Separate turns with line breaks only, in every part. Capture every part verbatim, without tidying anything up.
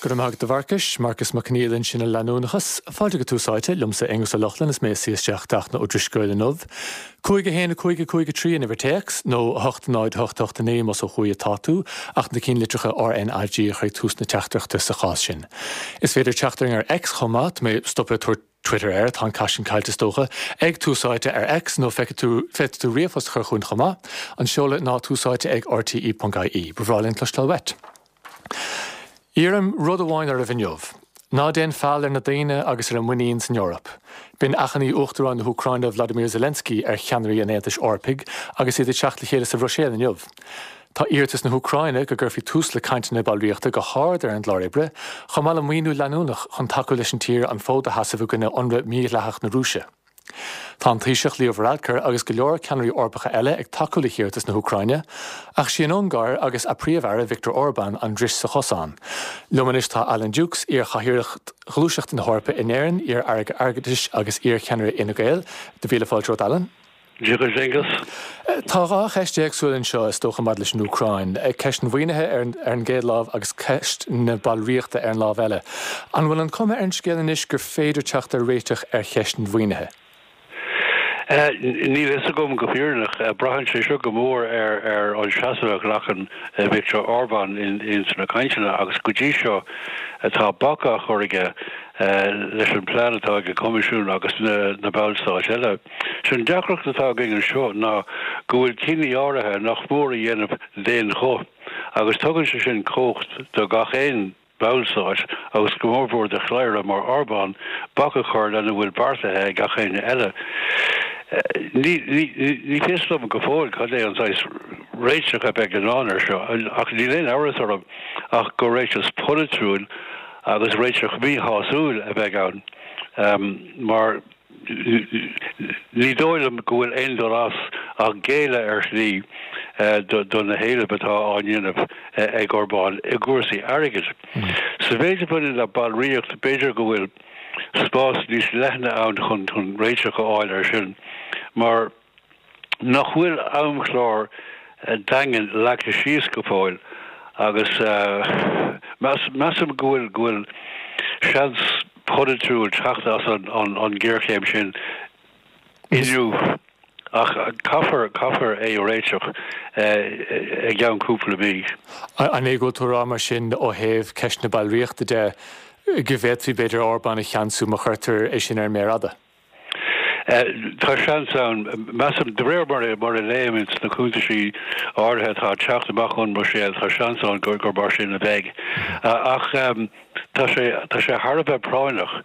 Go raibh maith agat a Mharcais, Marcas Mac Conghail ansin ar Leanúnachas. Fáilte go Tús Áite, liomsa Aonghus Ó Lochlainn is mé ag suí isteach Fachtna Ó Drisceoil inniu. Cúig a haon a cúig a cúig a trí an uimhir téacs, nó a hocht náid a hocht a hocht a naoi más ó thuaidh atá tú, ach na cinnlitreacha RNAG a chur ag tús na teachtaireachta sa chás sin. Is féidir teacht orainn ar X chomh maith, tá mé stoptha ag tabhairt Twitter air, tá an cath sin caillte is dócha, ag Tús Áite ar X nó feicfidh tú, féadfaidh tú ríomhphost a chur chugainn chomh maith. An seoladh ná túsáite ag rte.ie. Ba bhreá linn cloisteáil uait. Iarraim rud amháin oraibh inniu. Ná déan feall ar na daoine agus ar a muinín san Eoraip. B'in achainí Uachtarán na hÚcráine Vladimir Zelensky ar cheannairí an Aontais Eorpaigh agus iad ag teacht le chéile sa Bhruiséil inniu. Tá iarratas na hÚcráine go gcuirfí tús le cainteanna ballraíochta go hard ar an gclár oibre, chomh maith le maoiniú leanúnach chun tacú leis an tír an fód a sheasamh i gcoinne ionradh mídhleathach na Rúise. Tá an Taoiseach Leo Varadkar agus go leor ceannairí Eorpacha eile ag tacú le hiarratas na hÚcráine, ach sí an Ungáir agus a Príomh-Aire Viktor Orbán an dris sa chosán. Liom anois tá Alan Dukes, iar-chathaoirleach Ghluaiseacht na hEorpa in Éirinn, iar-aire airgeadais agus iar-cheannaire Fhine Gael. Do mhíle fáilte romhat, Alan.
Dia duit, Aengus.
Tá dhá cheist éagsúla anseo is dócha maidir leis an Úcráin, ceist an mhaoinithe ar an gcéad lámh agus ceist na ballraíochta ar an lámh eile. An bhfuil an cuma ar an scéal anois gur féidir teacht ar réiteach ar cheist an mhaoinithe?
Níl a fhios agam go fírinneach. Braitheann sé seo go mór ar ar an seasamh a ghlacann Viktor Orbán ins na cainteanna agus go dtí seo tá bac á chur aige leis an plean atá ag an Coimisiún agus na ballstáit eile. Sé an deacracht atá againn anseo ná go bhfuil cinní áirithe nach mór a dhéanamh d'aon ghuth agus tugann sé sin cumhacht do gach aon ballstát, agus go mórmhór do chladhaire mar Orbán, bac a chur lena bhfuil beartaithe ag gach éinne eile. Ní ní fios dom go fóill cad é an saghas réiteach a bheidh i ndán air seo, ach níl aon amhras orm ach gur réiteach polaitiúil agus réiteach míshásúil a bheidh ann, mar. Ní dóigh liom go bhfuil aon dul as ach géilleadh ar shlí do na héilimh atá á ndéanamh ag Orbán i gcúrsaí airgid. Sa mhéid a bhaineann le ballraíocht, b'fhéidir go bhfuil spás níos leithne ann chun réiteach a fháil air sin mar nach bhfuil amchlár daingean leagtha síos go fóill agus measaim go bhfuil go bhfuil seans polaitiúil teacht as an ghéarchéim sin inniu ach caithfear caithfear é a réiteach i gceann cúpla mí.
An é go bhfuil tú ag rá mar sin ó thaobh ceist na ballraíochta de go bhféadfaí b'fhéidir Orbán a cheansú má chuirtear é sin ar an méar fhada?
Tá seans ann. Measaim, de réir mar mar a léim ins na cuntaisí áirithe atá ag teacht amach ón mBruiséil, tá seans ann gur gur mar sin a bheidh. Ach tá sé tá sé thar a bheith práinneach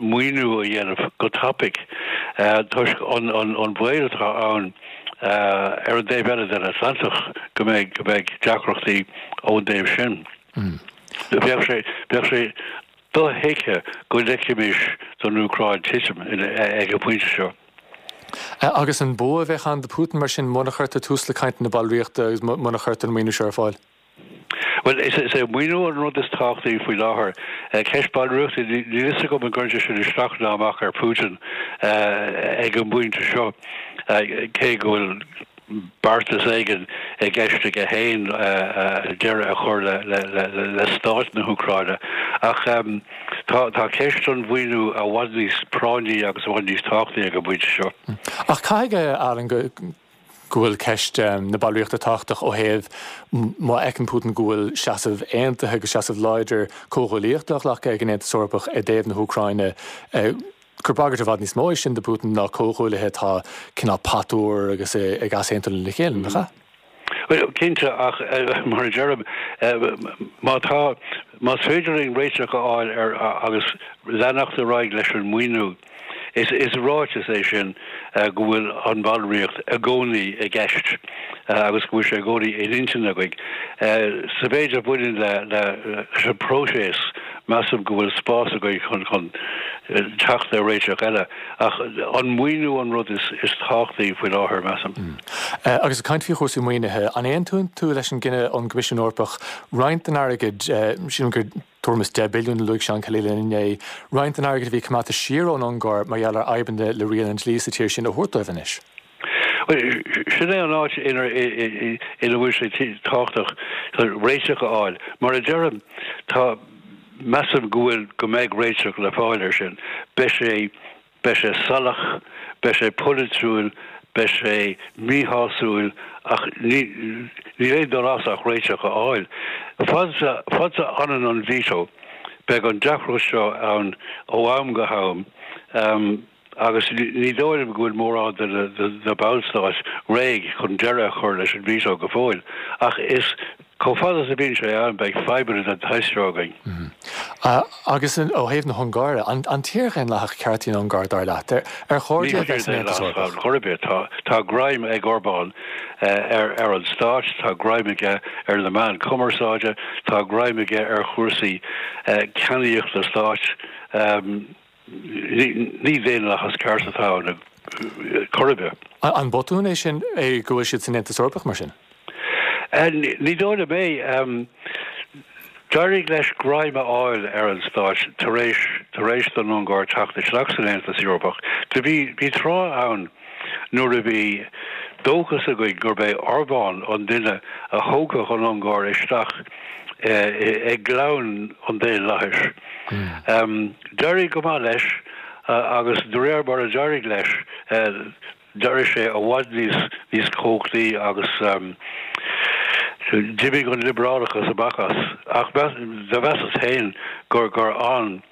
maoiniú a dhéanamh go tapaidh toisc an an an baol atá ann ar an dtaobh eile den Atlantach go mbeidh go mbeidh deacrachtaí ón dtaobh sin. Bheadh sé bheadh sé dothuigthe go ligfimis don Úcráin titim ag an bpointe seo.
Agus an bua a bheadh ann do Putin mar sin muna chuirtear tús le cainteanna ballraíochta agus muna chuirtear an maoiniú seo ar fáil?
Bhuel, is é maoiniú an rud is tábhachtaí faoi láthair. Ceist ballraíochta, níl a fhios agam an gcuireann sé sin isteach ná amach ar Putin ag an bpointe seo, cé go bhfuil beartas éigin i gceist aige féin deireadh a chur le stát na hÚcráine. Ach tá ceist an mhaoiniú i bhfad níos práinní agus i bhfad níos tábhachtaí ag an bpointe seo.
Ach caithfidh, Alan, go bhfuil ceist na ballraíochta tábhachtach ó thaobh má fheiceann Putin go bhfuil seasamh aontaithe agus seasamh láidir comhghuaillíochta á ghlacadh ag an Aontas Eorpach i dtaobh na hÚcráine, gur bagairt i bhfad níos mó é sin do Putin ná comhghuaillithe atá cineál patuar agus ag easaontú lena chéile, nach ea?
Bhuel, cinnte, ach mar a deirim, má tá, más féidir linn réiteach a fháil ar agus leanacht ar aghaidh leis an maoiniú, is is ráiteas é sin go bhfuil an bhallraíocht i gcónaí i gceist agus go bhfuil sé i gcónaí in intinn againn. Sa mhéid a bhaineann le leis an bpróiseas, Measaim go bhfuil spás againn chun chun teacht ar réiteach eile, ach an maoiniú an rud is is tábhachtaí faoi láthair, measaim.
Agus ag caint faoi chúrsaí maoinithe, an aontaíonn tú leis an gcinneadh ón gCoimisiún Eorpach roinnt den airgead, sílim gur tuairim is deich billiún a luaigh Seán Kelly linn inné, roinnt den airgead a bhí coimeádta siar ón Ungáir mar gheall ar fhadhbanna le riail an dlí sa tír sin a thabhairt dóibh anois?
Sin é an áit ina ina bhfuil sé tábhachtach réiteach a fháil. Mar a deirim, tá measaim go bhfuil go mbeidh réiteach le fáil air sin. Beidh sé beidh sé salach, beidh sé polaitiúil, beidh sé míshásúil ach ní ní aon dul as ach réiteach a fháil. Fad is a fad is a fhanann an veto, beidh an deacracht seo ann ó am go ham. Um, agus ní dóigh liom go bhfuil mórán de na ballstáit réidh chun deireadh a chur leis an veto go fóill. Ach is chomh fada is a bhíonn sé ann beidh fadhbanna den tsaghas seo againn.
Agus ó thaobh na hUngáire, an tír dhaonlathach ceart í an Ungáir dar leat? Ar chóir di a bheith san Aontas Eorpach?
Chor ar bith, tá greim ag Orbán ar ar an stát, tá greim aige ar na meáin cumarsáide, tá greim aige ar chúrsaí ceannaíochta stáit. Ní daonlathas ceart atá ann chor ar bith.
An botún é sin é go bhfuil siad san Aontas Eorpach mar sin?
Ní dóigh liom é. D'éirigh leis greim a fháil ar an stát tar éis tar éis don Ungáir teacht isteach san Aontas Eorpach. Do bhí bhí tráth ann nuair a bhí dóchas againn gurb é Orbán an duine a thógfadh an Ungáir isteach i gclann an daonlathais. D'éirigh go maith leis agus de réir mar a d'éirigh leis, d'éirigh sé i bhfad níos níos cumhachtaí agus d'imigh an liobrálachas amach as. Ach do mheasas féin gur gur fhan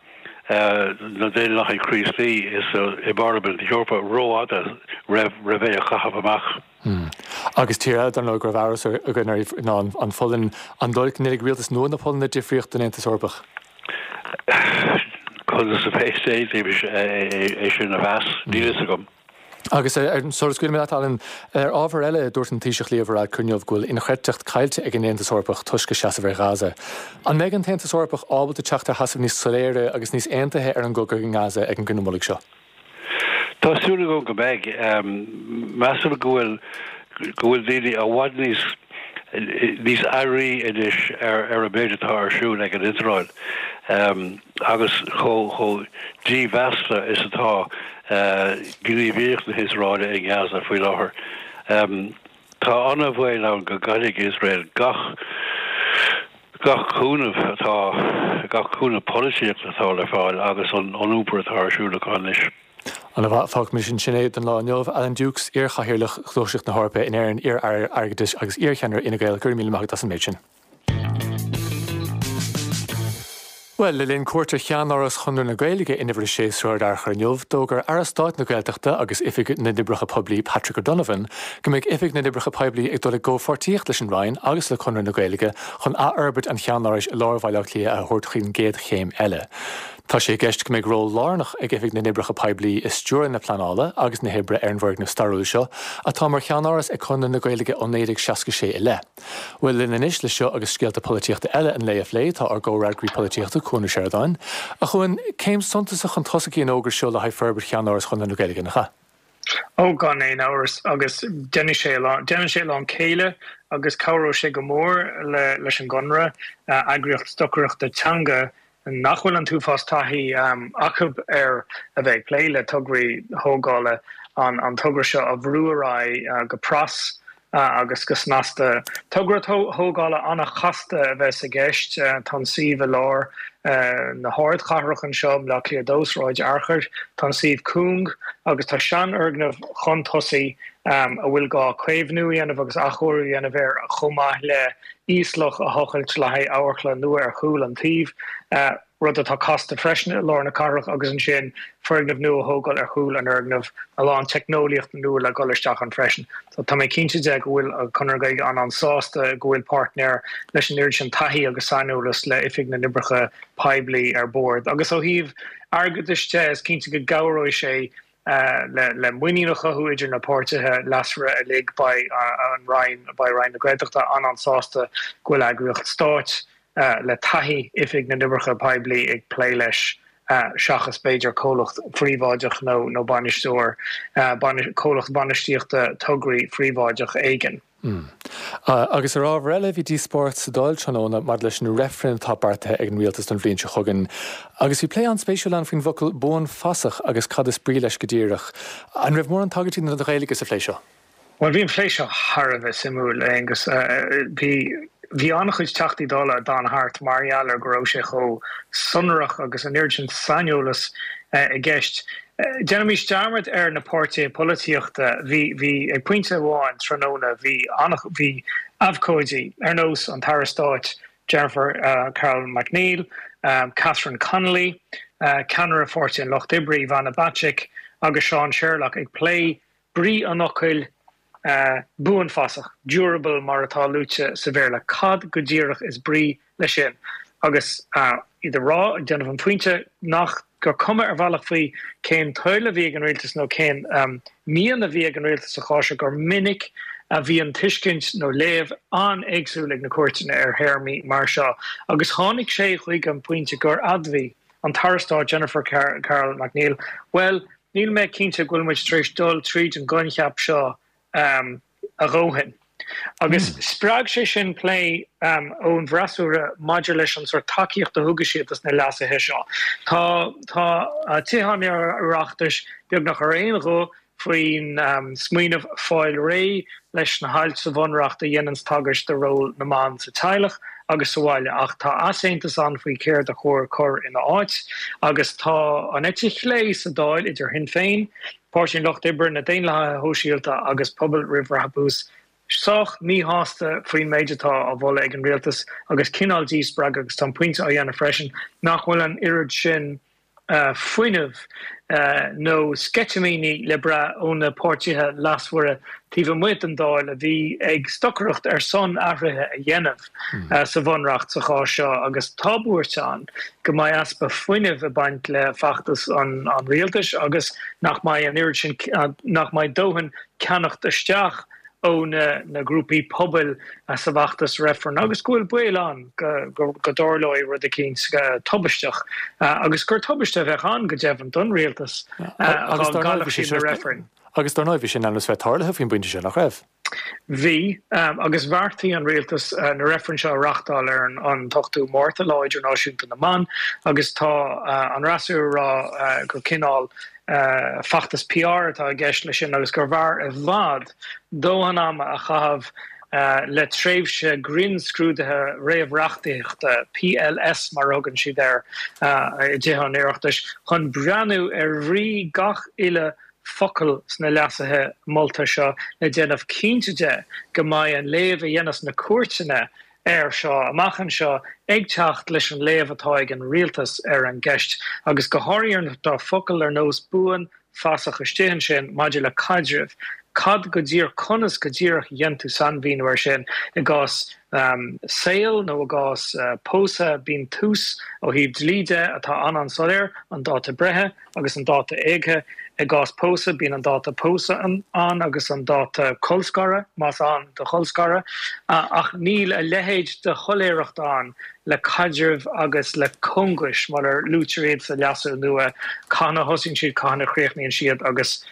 na Daonlathaigh Chríostaí is i bParlaimint na hEorpa rófhada roimh roimh é a chaitheamh amach.
Agus tír eile dar ndóigh go raibh amhras againn uirthi ná an Pholainn. An dóigh go ndéanfaidh rialtas nua na Polainne difríocht don Aontas Eorpach?
Conas a bheas é sin a mheas? Níl fhios agam.
Agus sula scaoilimid leat, Alan, ar ábhar eile, dúirt an Taoiseach Leo Varadkar inniu go bhfuil inchreidteacht caillte ag an Aontas Eorpach toisc a seasamh ar Ghaza. An mbeidh an tAontas Eorpach ábalta teacht ar sheasamh níos soiléire agus níos aontaithe ar an gcogadh i nGaza ag an gcruinniú mullaigh seo?
Tá súil agam go mbeidh. Measaim go bhfuil go bhfuil daoine i bhfad níos níos airí anois ar ar an méid atá ar siúl ag an Iosrael agus chomh chomh dímheasta is atá gníomhaíocht na hIosraeile i nGaza faoi láthair. Tá an-bhaol ann go gcaillfidh Iosrael gach gach cúnamh atá gach cúnamh polaitíochta atá le fáil agus an iompar atá ar siúl acu anois.
Ana-mhaith, fágfaimis ansin é don lá inniu. Alan Dukes, iar-chathaoirleach Ghluaiseacht na hEorpa in Éirinn, iar-aire airgeadais agus iar-cheannaire Fhine Gael, go raibh míle maith agat as an méid sin. Bhuel, le linn cuairt ar cheannáras Chonradh na Gaeilge in Uimhir a sé Sráid Fhearchair inniu, d'fhógair Aire Stáit na Gaeltachta agus Oifig na nOibreacha Poiblí Patrick O'Donovan go mbeidh Oifig na nOibreacha Poiblí ag dul i gcomhpháirtíocht leis an Roinn agus le Conradh na Gaeilge chun athfhorbairt an cheannárais i lár Bhaile Átha Cliath a thabhairt chuig an gcéad chéim eile. Tá sé i gceist go mbeidh ról lárnach ag Oifig na nOibreacha Poiblí i stiúradh na pleanála agus na hoibre ar an bhfoirgneamh stairiúil seo, atá mar cheannáras ag Conradh na Gaeilge ó naoi déag seasca sé i leith. Bhuel, linn anois le seo agus scéalta polaitíochta eile an lae a phlé, tá ár gcomhfhreagraí polaitíochta, Cuan Ó Seireadáin. A Chuain, céim suntasach chun tosaigh í an fhógra seo le haghaidh forbairt cheannáras Chonradh na Gaeilge, nach ea?
Ó, gan aon amhras, agus déanfaidh sé a lán, déanann sé a lán céille agus cabhróidh sé go mór le, leis an gConradh, eagraíocht stocaireachta teanga nach bhfuil an t-uafás taithí acu ar a bheith ag plé le tograí thógála, an, an togra seo a bhrú ar aghaidh go pras agus go snasta. Togra tógála an-chasta a bheas i gceist. Tá an suíomh i lár na hardchathrach anseo, i mBaile Átha Cliath a dó, Sráid Fhearchair. Tá an suíomh cúng agus tá seanfhoirgneamh chun tosaigh a bhfuil gá caomhnú a dhéanamh agus athchóiriú a dhéanamh air chomh maith le íoslach a thochailt le haghaidh amharclann nua ar chúl an tsuímh. rud atá casta freisin i lár na cathrach, agus ansin foirgneamh nua a thógáil ar chúl an fhoirgnimh, a lán teicneolaíochta nua le dhul isteach ann freisin. So tá mé cinnte de go bhfuil Conradh na Gaeilge an-an-sásta go bhfuil páirtnéir leis an oiread sin taithí agus saineolas le Oifig na nOibreacha Poiblí ar bord. Agus ó thaobh airgeadais de, is cinnte go gcabhróidh sé le le muinín a chothú idir na páirtithe leasmhara uilig. Beidh an Roinn, beidh Roinn na Gaeltachta an-an-sásta go bhfuil eagraíocht stáit le taithí Oifig na nOibreacha Poiblí ag plé leis seachas b'fhéidir comhlacht phríobháideach nó nó bainisteoir, comhlacht bainistíochta tograí phríobháideach éigin.
Agus ar ábhar eile, bhí díospóireacht sa Dáil tráthnóna maidir leis an reifreann atá beartaithe ag an rialtas don bhliain seo chugainn. Agus bhí plé an-spéisiúil ann faoin bhfocal 'buanfasach' agus cad is brí leis go díreach. An raibh mórán tagairtí don Ghaeilge sa phlé seo?
Bhuel, bhí an plé seo thar a bheith suimiúil, Aonghus. Bhí bhí an-chuid Teachtaí Dála a d'fhan thart mar gheall ar go raibh sé chomh sonrach agus an oiread sin saineolas i gceist. Déanaimis dearmad ar na páirtithe polaitíochta. Bhí bhí ag pointe amháin tráthnóna bhí bhí abhcóidí ar nós an tAire Stáit Jennifer Carroll MacNeill, Catherine Connolly, ceannaire Pháirtí an Lucht Oibre Ivana Bacik agus Seán Sherlock ag plé brí an fhocail buanfasach, durable mar atá luaite sa Bhéarla. Cad go díreach is brí leis sin? Agus iad ag rá, ag déanamh an phointe nach gur cuma ar bhealach faoi cén toil a bhí ag an rialtas nó cén mian a bhí ag an rialtas sa chás seo gur minic a bhíonn tuiscint nó léamh an-éagsúil ag na cúirteanna ar théarmaí mar seo. Agus tháinig sé chuig an bpointe gur admhaigh an tAire Stáit Jennifer Carroll MacNeill, Bhuel, níl mé cinnte go bhfuil muid tar éis dul tríd an gcoincheap seo a dhóthain. Agus spreag sé sin plé ón bhfreasúra maidir leis an sórt tacaíocht a thugadh siad dos na leasuithe seo. Tá tá Tithe an Oireachtais beagnach ar aon ghuth faoin smaoineamh fáil réidh leis na hailt sa Bhunreacht a dhéananns tagairt do ról na mban sa teaghlach agus sa bhaile, ach tá easaontas ann faoi céard a chóir cur ina áit agus tá an eite chlé sa Dáil, idir Shinn Féin, Páirtí an Lucht Oibre, na Daonlathaithe Shóisialta agus Pobal Roimh Bhrabús, sách míshásta faoin méid atá á mholadh ag an rialtas agus cineál díspreagtha agus tá an pointe á dhéanamh freisin nach bhfuil an oiread sin fuinneamh nó sceitimíní le brath ó na páirtithe leasmhara taobh amuigh den Dáil a bhí ag stocaireacht ar son athruithe a dhéanamh sa Bhunreacht sa chás seo agus tá buairt ann go mbeidh easpa fuinnimh ag baint le feachtas an rialtais agus nach mbeidh an oiread sin, nach mbeidh dóthain ceannacht isteach ó na grúpaí pobail sa bhfeachtas reifrinn agus go bhfuil baol ann go dtarlóidh rud eicínt tubaisteach agus gur tubaiste a bheadh ann go deimhin don rialtas dá gcaillfeadh siad na reifrinn.
Agus dar ndóigh bhí sé in ainm is bheith tarlaithe faoin bpointe sin, nach raibh?
Bhí, agus bheartaigh an rialtas na reifrinn seo a reáchtáil ar an t-ochtú Márta, Lá Idirnáisiúnta na mBan, agus tá an fhreasúra ag rá gur cineál feachtas P R atá i gceist leis sin agus gurbh fhearr i bhfad dóthain ama a chaitheamh le tréimhse grinnscrúdaithe réamhreachtaíochta, P L S mar a thugann siad air i dTithe an Oireachtais, chun breathnú ar bhrí gach uile focal sna leasuithe molta seo le déanamh cinnte de go mbeidh an léamh a dhéanfas na cúirteanna air seo amach anseo ag teacht leis an léamh atá ag an rialtas ar an gceist, agus go háirithe nuair atá focail ar nós buan, fasach istigh ansin maidir le caidreamh. Cad go díreach, conas go díreach a dhéanann tú sainmhíniú air sin i gcás saoil nó i gcás pósadh? Bíonn tús ó thaobh dlí de atá an-an-soiléir, an dáta breithe agus an dáta éagtha. I gcás pósadh, bíonn an dáta pósadh ann agus an dáta colscartha, más ann do cholscaradh, ach níl a leithéid de shoiléireacht ann le caidrimh agus le cóngais mar a luaitear iad sa leasú nua, cathain a thosaíonn siad, cathain a chríochnaíonn siad agus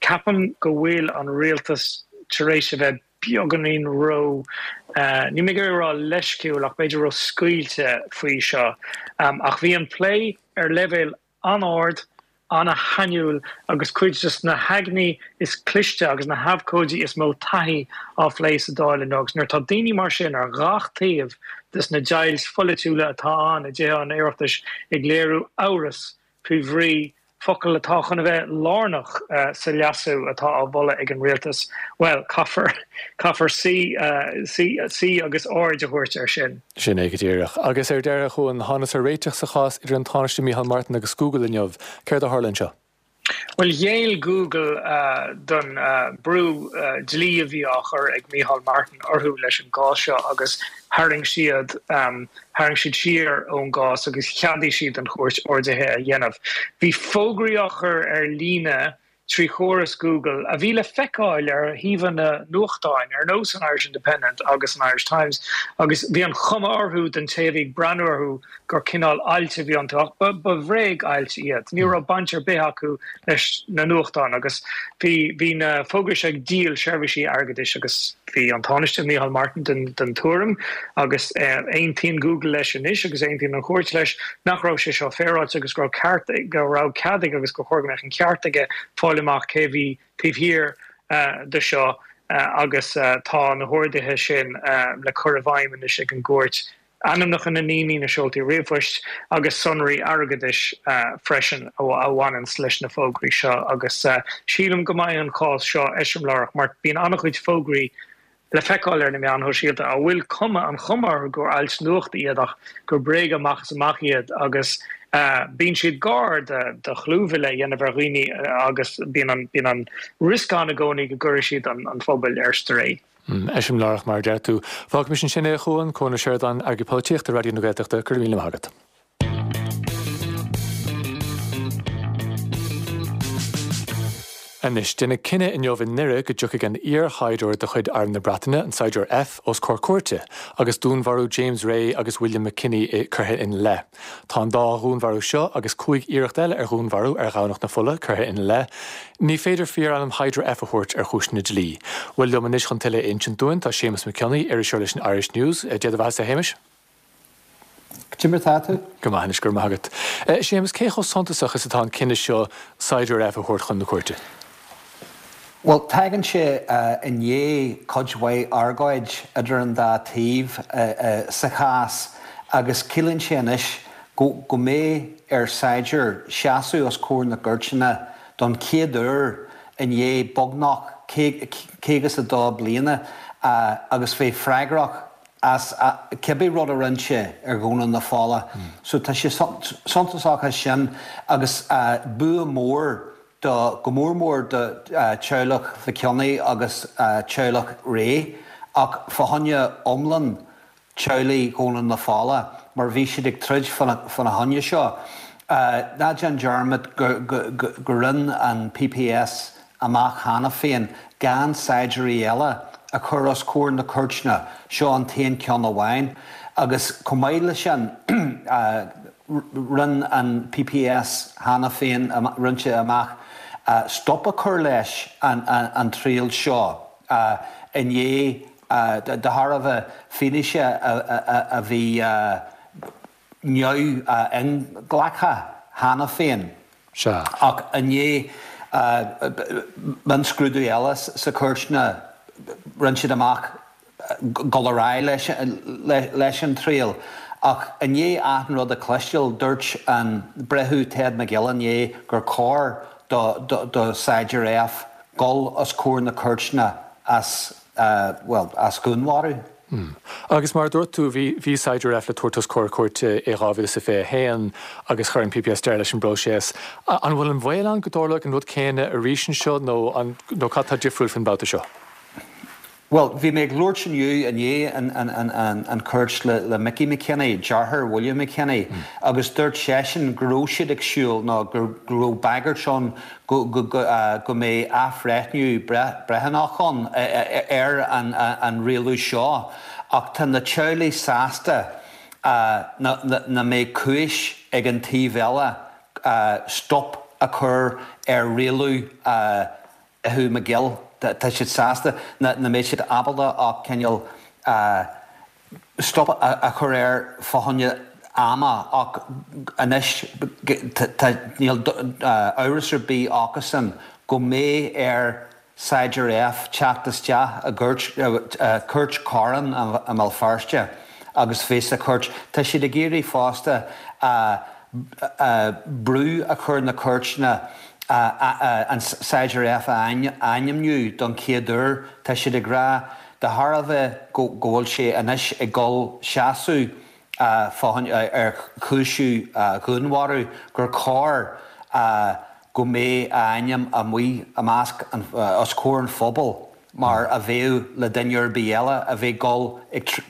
ceapaim go bhfuil an rialtas tar éis a bheith beagáinín ró, níl mé ag iarraidh a rá leisciúil ach b'fhéidir ró-scaoilte faoi seo. Ach bhí an plé ar leibhéal an-ard, an-shainiúil agus cuid de na haigne is cliste agus na habhcóidí is mó taithí á phlé sa Dáil inniu. Agus nuair atá daoine mar sin ar gach taobh de na deighilt pholaitiúla atá ann i dTithe an Oireachtais ag léiriú amhras faoi bhrí focal atá chun a bheith lárnach sa leasú atá á mholadh ag an rialtas, bhuel, caithfear, caithfear suí, suí, suí agus aird a thabhairt air sin.
Sin é go díreach. Agus ar deireadh, a Chuain, thángthas ar réiteach sa chás idir an Tánaiste Micheál Martin agus Google inniu. Céard a tharla anseo?
Bhuel, ghéill Google don brú dlí a bhí á chur ag Micheál Martin orthu leis an gcás seo agus tharraing siad tharraing siad siar ón gcás agus cheadaigh siad don chúirt orduithe a dhéanamh. Bhí fógraí á chur ar líne trí chóras Google a bhí le feiceáil ar shuíomhanna nuachtáin ar nós an Irish Independent agus an Irish Times agus bhí an chuma orthu don té a bhí ag breathnú orthu gur cineál ailt a bhí iontu ach ba bhréag-ailt iad. Ní raibh baint ar bith acu leis na nuachtáin agus bhí bhí na fógraí seo ag díol seirbhísí airgeadais agus bhí an Tánaiste Micheál Martin den den tuairim agus aontaíonn Google leis anois agus aontaíonn an chúirt leis nach raibh sé seo féaráilte agus go raibh ceart go raibh cead aige agus gur chóir go mbeadh an ceart aige fáil amach cé bhí taobh thiar do seo agus tá na horduithe sin le cur i bhfeidhm anois ag an gcúirt. Ainmneacha na ndaoine, na seoltaí ríomhphoist agus sonraí airgeadais freisin a bhaineanns leis na fógraí seo agus sílim go mbeidh an cás seo eiseamláireach mar bíonn an-chuid fógraí le feiceáil ar na meáin shóisialta a bhfuil cuma an chuma orthu gur ailt nuachta iad ach gur bréaga amach is amach iad agus bíonn siad gar do chlúmhilleadh a dhéanamh ar dhaoine agus bíonn an bíonn an riosca ann i gcónaí go gcuirfidh siad an an phobal ar strae.
Eiseamláireach mar a deir tú. Fágaimis ansin é a Chuain, Cuan Ó Seireadáin, Eagraí Polaitíochta Raidió na Gaeltachta, go raibh míle maith agat. Anois, deineadh cinneadh inniu i nDoire go dtiocfaidh an iar-shaighdiúir de chuid Arm na Breataine, an Saighdiúir F, os comhair cúirte agus dúnmharú James Ray agus William McKinney curtha ina leith. Tá an dá dhúnmharú seo agus cúig iarracht eile ar dhúnmharú ar Dhomhnach na Fola curtha ina leith. Ní féidir fíorainm Shaighdiúir F a thabhairt ar chúiseanna dlí. Bhuel, liom anois chun tuilleadh a insint dúinn tá Séamus Mac Cionnaith, iriseoir leis an Irish News. Dia do bheatha-sa, a Shéamais.
Cad é mar atá tú?
Go maith anois, go raibh maith agat. Séamus, cé chomh suntasach is atá an cinneadh seo Saighdiúir F a thabhairt chun na cúirte?
Bhuel, tagann sé i ndiaidh cuid mhaith argóid idir an dá taobh sa chás agus ciallaíonn sé anois go go mbeidh ar Saighdiúir seasamh os comhair na gcúirteanna don chéad uair i ndiaidh beagnach caoga is a dó bliana agus bheith freagrach as cibé rud a rinne sé ar Dhomhnach na Fola. So tá sé suntasach as sin agus bua mór do, go mór mór do teaghlach Mhic Cionnaith agus teaghlach Ray ach fá choinne iomlán teaghlaigh Dhomhnach na Fola mar bhí siad ag troid fána choinne seo. Ná déan dearmad go rinne an PPS amach cheana féin gan saighdiúirí eile a chur os comhair na cúirteanna, seo an t-aon ceann amháin. Agus chomh maith leis sin, rinne an PPS cheana féin, rinne sé amach stop a chur leis an triail seo i ndiaidh, de thairbhe fianaise a bhí neamh-inghlactha cheana féin.
Sea.
Ach i ndiaidh mionscrúdú eile sa chúirteanna, rinne siad amach dul ar aghaidh leis an triail. Ach i ndiaidh achan rud a chloisteáil, dúirt an Breitheamh Ted McGill inné gur chóir do Saighdiúir F dul os comhair na cúirteanna as, bhuel, as dhúnmharú.
Agus mar a dúirt tú, bhí bhí Saighdiúir F le tabhairt os comhair cúirte i dhá mhíle is a fiche a haon agus chuir an PPS deireadh leis an bpróiseas. An bhfuil an baol ann go dtarlóidh an rud céanna arís anseo nó an nó cad tá difriúil faoin mbabhta seo?
Bhuel, bhí mé ag labhairt inniu i ndiaidh an chúirt le Mickey McKinney, deartháir William McKinney, agus dúirt seisean go raibh siad ag siúl nó go raibh bagairt ann go mbeidh athbhreithniú breithiúnach ann ar an rialú seo ach tá na teaghlaigh sásta nach mbeidh cúis ag an taobh eile stop a chur ar rialú Bhreitheamh McGill, tá siad sásta nach mbeidh siad ábalta ach cineál stop a chur air fá choinne ama ach anois tá níl amhras ar bith acusan go mbeidh ar Saighdiúir F teacht isteach i gcúirt Cúirt Choróin i mBéal Feirste agus bheith sa chúirt. Tá siad ag iarraidh fosta brú a chur na cúirteanna an Saighdiúir F a ainmniú don chéad uair. Tá siad ag rá, de thairbhe go bhfuil sé anois ag dul seasamh ar chúisiú dhúnmharú, gur chóir go mbeadh a ainm amuigh i measc os comhair an phobail mar a bheadh le duine ar bith eile a bheith ag dul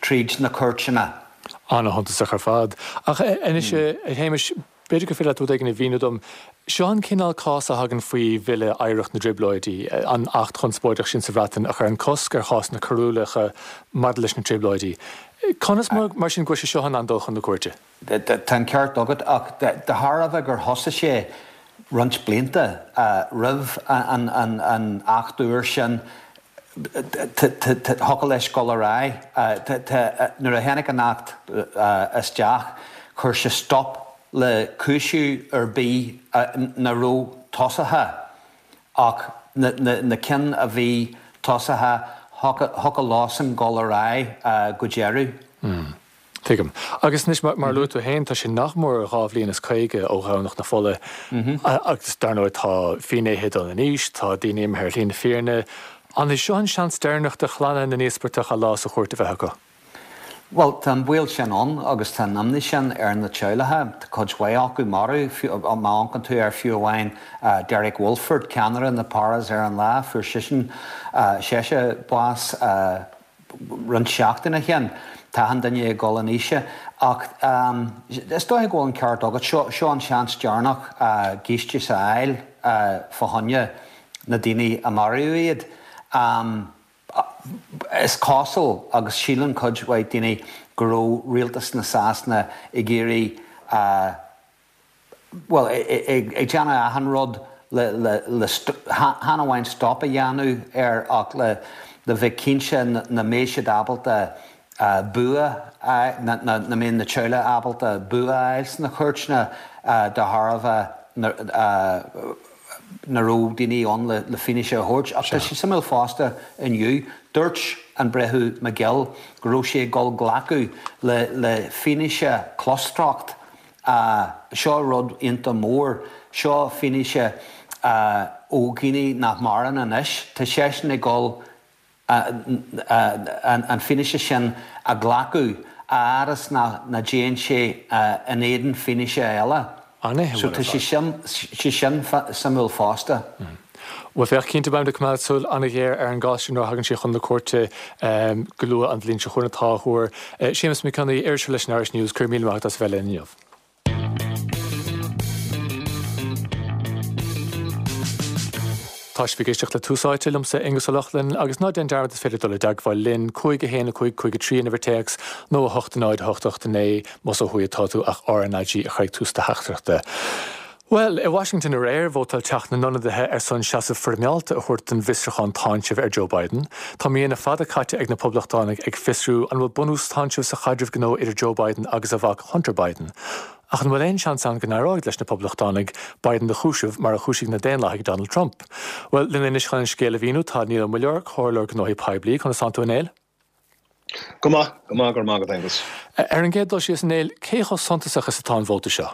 tríd na cúirteanna.
An-shuntasach ar fad. Ach anois, a Shéamais, b'fhéidir gur féidir leat rud éigin a mhíniú dom. Seo an cineál cás a thagann faoi Bhille Oidhreacht na dTrioblóidí, an acht chonspóideach sin sa Bhreatain a chuireann cosc ar chásanna coiriúla maidir leis na Trioblóidí. Conas mar sin go bhfuil sé seo in ann dul chun na cúirte?
Tá an ceart agat, ach de thairbhe gur thosaigh sé roinnt blianta roimh an acht úr sin, thiocfadh leis dul ar aghaidh. Nuair a tháinig an Acht isteach, chuir sé stop le cúiseamh ar bith nach raibh tosaithe ach na cinn a bhí tosaithe, thiocfadh leosan dul ar aghaidh go deireadh.
Tuigim. Agus anois, mar a luaigh tú féin, tá sé nach mór dhá bhliain is caoga ó Dhomhnach na Fola agus dar ndóigh tá finnéithe dul in aois, tá daoine imithe ar shlí na fírinne. An é seo an seans deireanach do chlanna na n-íospartach a lá sa chúirt a bheith acu?
Bhuel, tá an baol sin ann agus tá an imní sin ar na teaghlaigh. Tá cuid mhaith acu marbh, má amharcann tú ar fiú amháin Derek Walford, ceannaire na Paras ar an lá, fuair seisean, seisean bás roinnt seachtain ó shin. Tá achan duine ag dul in aois. Ach is dóiche go bhfuil an ceart agat, seo an seans deireanach giúistíos a fháil fá choinne na daoine a maraíodh iad. Is cosúil, agus síleann cuid mhaith daoine, go raibh rialtas na Sasana ag iarraidh, bhuel, ag déanamh achan rud le, chan amháin stop a dhéanamh air ach le bheith cinnte nach mbeadh siad ábalta bua, nach mbeadh na teaghlaigh ábalta bua a fháil sna cúirteanna de thairbhe nach raibh daoine ann le fianaise a thabhairt. Ach tá sé suimiúil fosta inniu, dúirt an Breitheamh McGill go raibh sé ag dul glacadh le fianaise clostrácht. Seo rud iontach mór. Seo fianaise ó dhaoine nach maireann anois. Tá seisean ag dul an fianaise sin a ghlacadh a fhad is nach dtéann sé in éadan fianaise eile. So tá sé sin suimiúil fosta.
Bhuel, féach, cinnte beimid ag coimeád súil an-ghéar ar an gcás sin nuair a thagann sé chun na cúirte go luath an bhliain seo chugainn atá á thuar. Séamus Mac Cionnaith, iriseoir leis an Irish News, go raibh míle maith agat as a bheith linn inniu. Tá sibh ag éisteacht le Tús Áite liomsa, Aonghus Ó Lochlainn, agus ná déan dearmad is féidir dul i dteagmháil linn, cúig a haon a cúig cúig a trí an uimhir téacs nó a hocht a náid a hocht a hocht a naoi más ó thuaidh atá tú ach RnaG a chur ag tús do theachtaireachta. Bhuel, i Washington aréir, vótáil Teach na nIonadaithe ar son seasamh foirmeálta a thabhairt don bhfiosrúchán táinsimh ar Joe Biden. Tá míonna fada caite ag na Poblachtánaigh ag fiosrú an bhfuil bunús táinsimh sa chaidreamh gnó idir Joe Biden agus a mhac Hunter Biden. Ach an bhfuil aon seans ann go n-éireoidh leis na Poblachtánaigh Biden a chúiseamh mar a chúisigh na Daonlathaigh Donald Trump? Bhuel, linn anois chun an scéal a mhíniú tá Niall Ó Muilleoir, Comhairleoir Gnóthaí Poiblí. Conas tánn tú, a Néill?
Go maith, go maith, go raibh maith agat, Aengus.
Ar an gcéad dul síos, a Néill, cé chomh suntasach is atá an vóta seo?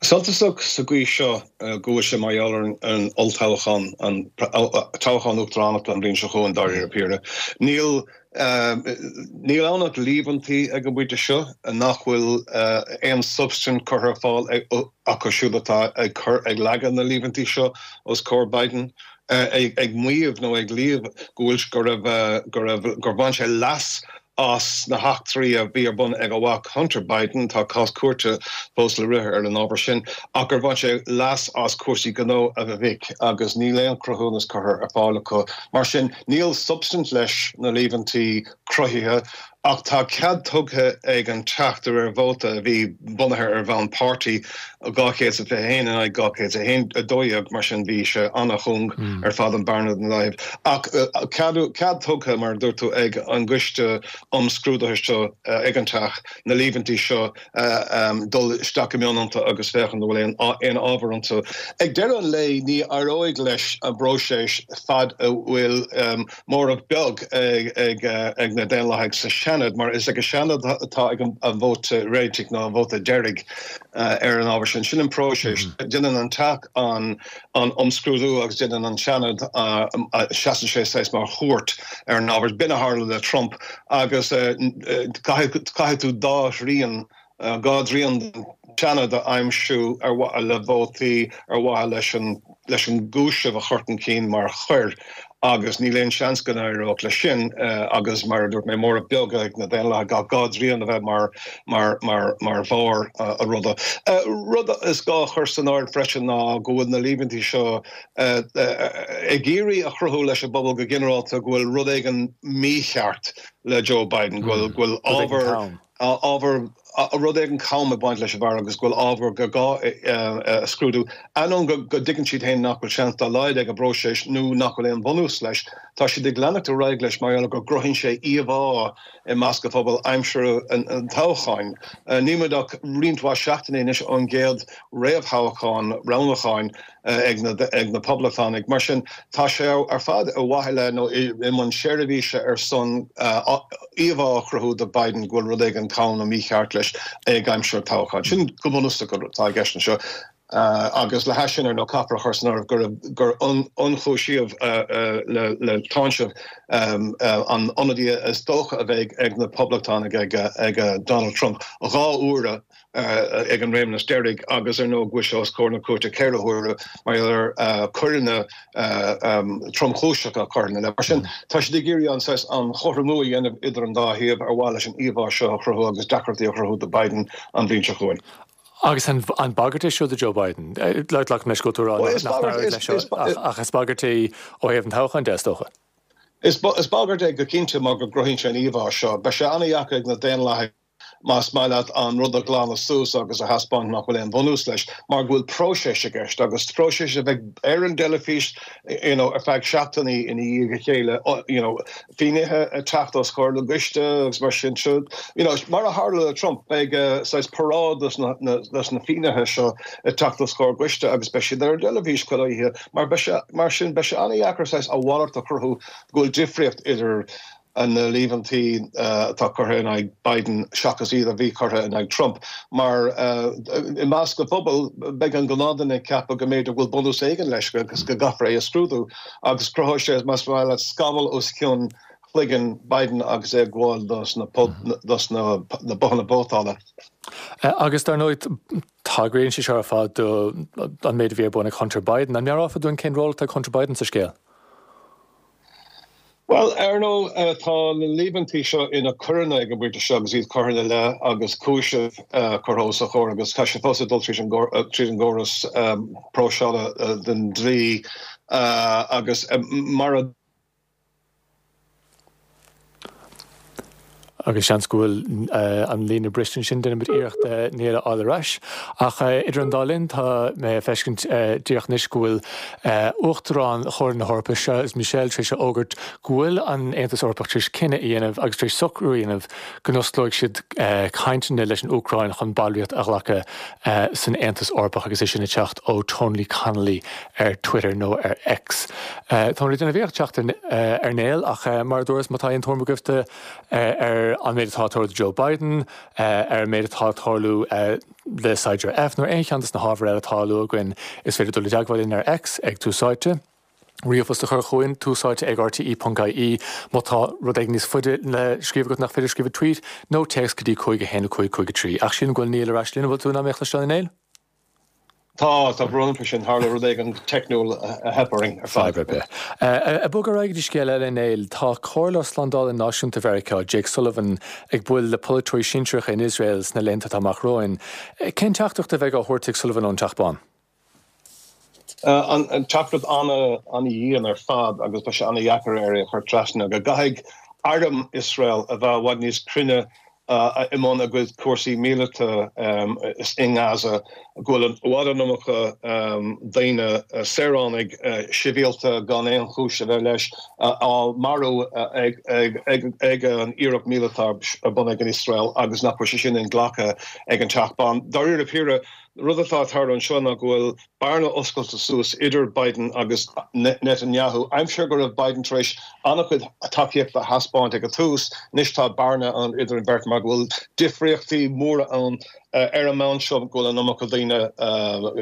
Suntasach sa gcaoi seo go bhfuil sé mar gheall ar an olltoghchán, an toghchán uachtaránachta an bhliain seo chugainn, dáiríre píre. Níl níl ann ach líomhaintí ag an bpointe seo nach bhfuil aon substaint curtha ar fáil acu siúd atá ag cur ag leagan na líomhaintí seo os comhair Biden, ag maíomh nó ag líomh go bhfuil go raibh go raibh gur bhain sé leas as na heachtraí a bhí ar bun ag a mhac Hunter Biden, tá cás cúirte fós le rith ar an ábhar sin, ach gur bhain sé leas as cúrsaí gnó a mhic agus níl aon chruthúnas curtha ar fáil acu. Mar sin, níl substaint leis na líomhaintí cruthaithe ach tá cead tugtha ag an Teach de réir vóta a bhí bunaithe ar bhonn páirtí, dhá chéad is a fiche a haon in aghaidh dhá chéad is a haon, a dó dhéag, mar sin bhí sé an-chúng ar fad an bearna den dá thaobh. Ach cead, cead tugtha, mar a dúirt tú, ag an gcoiste um scrúduithe seo ag an Teach na líomhaintí seo dul isteach go mion iontu agus féachaint an bhfuil aon ábhar iontu. Ag deireadh an lae ní éireoidh leis an bpróiseas fad a bhfuil móramh beag ag na Daonlathaigh sa Seanad mar is ag an Seanad atá ag an vóta réitigh nó an vóta deiridh ar an ábhar sin. Sin an próiseas. Déanann an Teach an an imscrúdú agus déanann an Seanad, seasann sé saghas mar chúirt ar an ábhar. B'in a tharla le Trump agus caithfidh tú dá thrian, dhá dtrian den Seanad a aimsiú ar mhaithe le vótaí, ar mhaithe leis an leis an gcúiseamh a chur chun cinn mar choir agus níl aon seans go n-éireodh leis sin agus mar a dúirt mé, móramh beag ag na Daonlathaigh ach dhá dtrian a bheith mar mar mar mar bharr an ruda. Rud is gá a chur san áireamh freisin ná go bhfuil na líomhaintí seo ag iarraidh a chruthú leis an bpobal go ginearálta go bhfuil rud éigin mícheart le Joe Biden, go bhfuil ábhar ábhar rud éigin cam ag baint leis an bhfear agus go bhfuil ábhar gur gá a scrúdú. Ainneoin go dtuigeann siad féin nach bhfuil seans dá laghad ag an bpróiseas nó nach bhfuil aon bhunús leis, tá siad ag leanacht ar aghaidh leis mar gheall go gcruthaíonn sé íomhá i measc an phobail aimsir an toghcháin. Níl muid ach roinnt mhaith seachtainí anois ón gcéad réamhthoghchán roghnúcháin ag na ag na Poblachtánaigh. Mar sin, tá sé ar fad ar mhaithe le nó i mbun seirbhíse ar son íomhá a chruthú do Biden go bhfuil rud éigin cam nó mícheart leis ag aimsir an toghcháin. Sin go bunúsach atá i gceist anseo. Agus le hais sin, ar ndóigh, caithfear a chur san áireamh gur gur ionchúisíodh le le táinseamh an ionadaí is dócha a bheidh ag na Poblachtánaigh ag ag Donald Trump dhá uaire ag an réimeas deiridh agus ar ndóigh go bhfuil sé os comhair na cúirte ceithre huaire mar gheall ar choireanna tromchúiseacha curtha ina leith. Mar sin, tá siad ag iarraidh an saghas an chothromú a dhéanamh idir an dá thaobh ar mhaithe leis an íomhá seo a chruthú agus deacrachtaí a chruthú do Biden an bhliain seo chugainn.
Agus an bagairt é seo do Joe Biden? Glacaim leis go bhfuil tú ag rá nach n-éireoidh leis seo ach is bagairt é ó thaobh an toghcháin de, is dócha.
Is bagairt é go cinnte mar go gcruthaíonn sé an íomhá seo. Beidh sé an-dheacair ag na Daonlathaigh más maith leat an rud a ghlanadh suas agus a thaispeáint nach bhfuil aon bhunús leis, mar go bhfuil próiseas i gceist agus próiseas a bheidh ar an dteilifís you know, ar feadh seachtainí ina dhiaidh a chéile, you know, finnéithe ag teacht os comhair na gcoiste agus mar sin seo. You know, mar a tharla le Trump, beidh uh, saghas paráid dos na, na, dos na finnéithe seo ag teacht os comhair coiste agus beidh siad ar an dteilifís chuile oíche, mar, beidh sé, mar sin beidh sé an-dheacair saghas a mhalairt a chruthú go bhfuil difríocht idir na líomhaintí atá curtha in aghaidh Biden seachas iad a bhí curtha in aghaidh Trump. Mar i measc an phobail, beidh an gnáthduine ag ceapadh go mb'fhéidir go bhfuil bunús éigin leis agus go gcaithfear é a scrúdú agus cruthóidh sé, más maith leat, scamall os cionn chloigeann Biden agus é ag gabháil dos na dos na bothanna vótála.
Agus dar ndóigh, tagraíonn sé seo ar fad do an méid a bhí ar bun ag Hunter Biden. An meabhrófá dúinn cén ról atá ag Hunter Biden sa scéal?
Bhuel, ar ndóigh, tá na líomhaintí seo ina coireanna ag an bpointe seo agus iad curtha ina leith agus cúisimh curtha os a chomhair agus tá sé fós ag dul tríd an gcóras próiseála den dlí agus mar a
Agus seans go bhfuil an líne briste ansin, déanfaimid iarracht Niall a fháil ar ais. Ach idir an dá linn, tá mé ag feiscint díreach anois go bhfuil Uachtarán Chomhairle na hEorpa, Charles Michel, tar éis a fhógairt go bhfuil an Aontas Eorpach tar éis cinneadh a dhéanamh agus tar éis socrú a dhéanamh go n-osclóidh siad cainteanna leis an Úcráin chun ballraíocht a ghlacadh san Aontas Eorpach agus é sin ag teacht ó Tony Connolly ar Twitter nó ar X. Táimid ag déanamh iarracht teacht ar Niall ach mar a dúras, má tá aon tuairim agaibh ar an méid atá ag tarlú do Joe Biden, ar an méid atá ag tarlú le Saighdiúir F nó aon cheann de na hábhair eile atá á lua againn, is féidir dul i dteagmháil linn ar X ag Tús Áite, ríomhphost a chur chugainn, túsáite ag rte ponc ie má tá rud éigin níos faide le scríobh agat nach féidir scríobh i tweet, nó téacs go dtí cúig a haon a cúig cúig a trí. Ach sílim go bhfuil Niall ar ais linn, an bhfuil tú in ann mé a chloisteáil a Néill?
Tá, tá brón orm faoi sin, tharla rud éigin teicniúil a theip orainn ar fad.
Fadhb ar bith. Ag bogadh ar aghaidh go dtí scéal eile, a Néill, tá Comhairleoir Slándála Náisiúnta Mheiriceá, Jake Sullivan, ag bualadh le polaiteoirí sinsearacha in Iosrael sna laethanta atá amach romhainn. Cén teachtaireacht a bheidh á thabhairt ag Sullivan ón Teach Bán?
An teachtaireacht an-dhian ar fad agus beidh sé an-dheacair air é a chur trasna, go gcaithfidh arm Iosrael a bheith i bhfad níos cruinne i mbun a gcuid cúrsaí míleata i nGaza, go bhfuil i bhfad an iomarca daoine, saoránaigh sibhialta gan aon chúis a bheith leis, á marú ag an iarracht míleata ar bun ag an Iosrael agus nach bhfuil sé sin inghlactha ag an Teach Bán. Dáiríre píre, rud atá ag tarlú anseo ná go bhfuil bearna oscailte suas idir Biden agus Netanyahu. Aimsir go raibh Biden tar éis an-chuid tacaíochta a thaispeáint ag an tús, anois tá bearna ann idir an bheirt mar go bhfuil difríochtaí móra ann ar an mbonn seo go bhfuil an iomarca daoine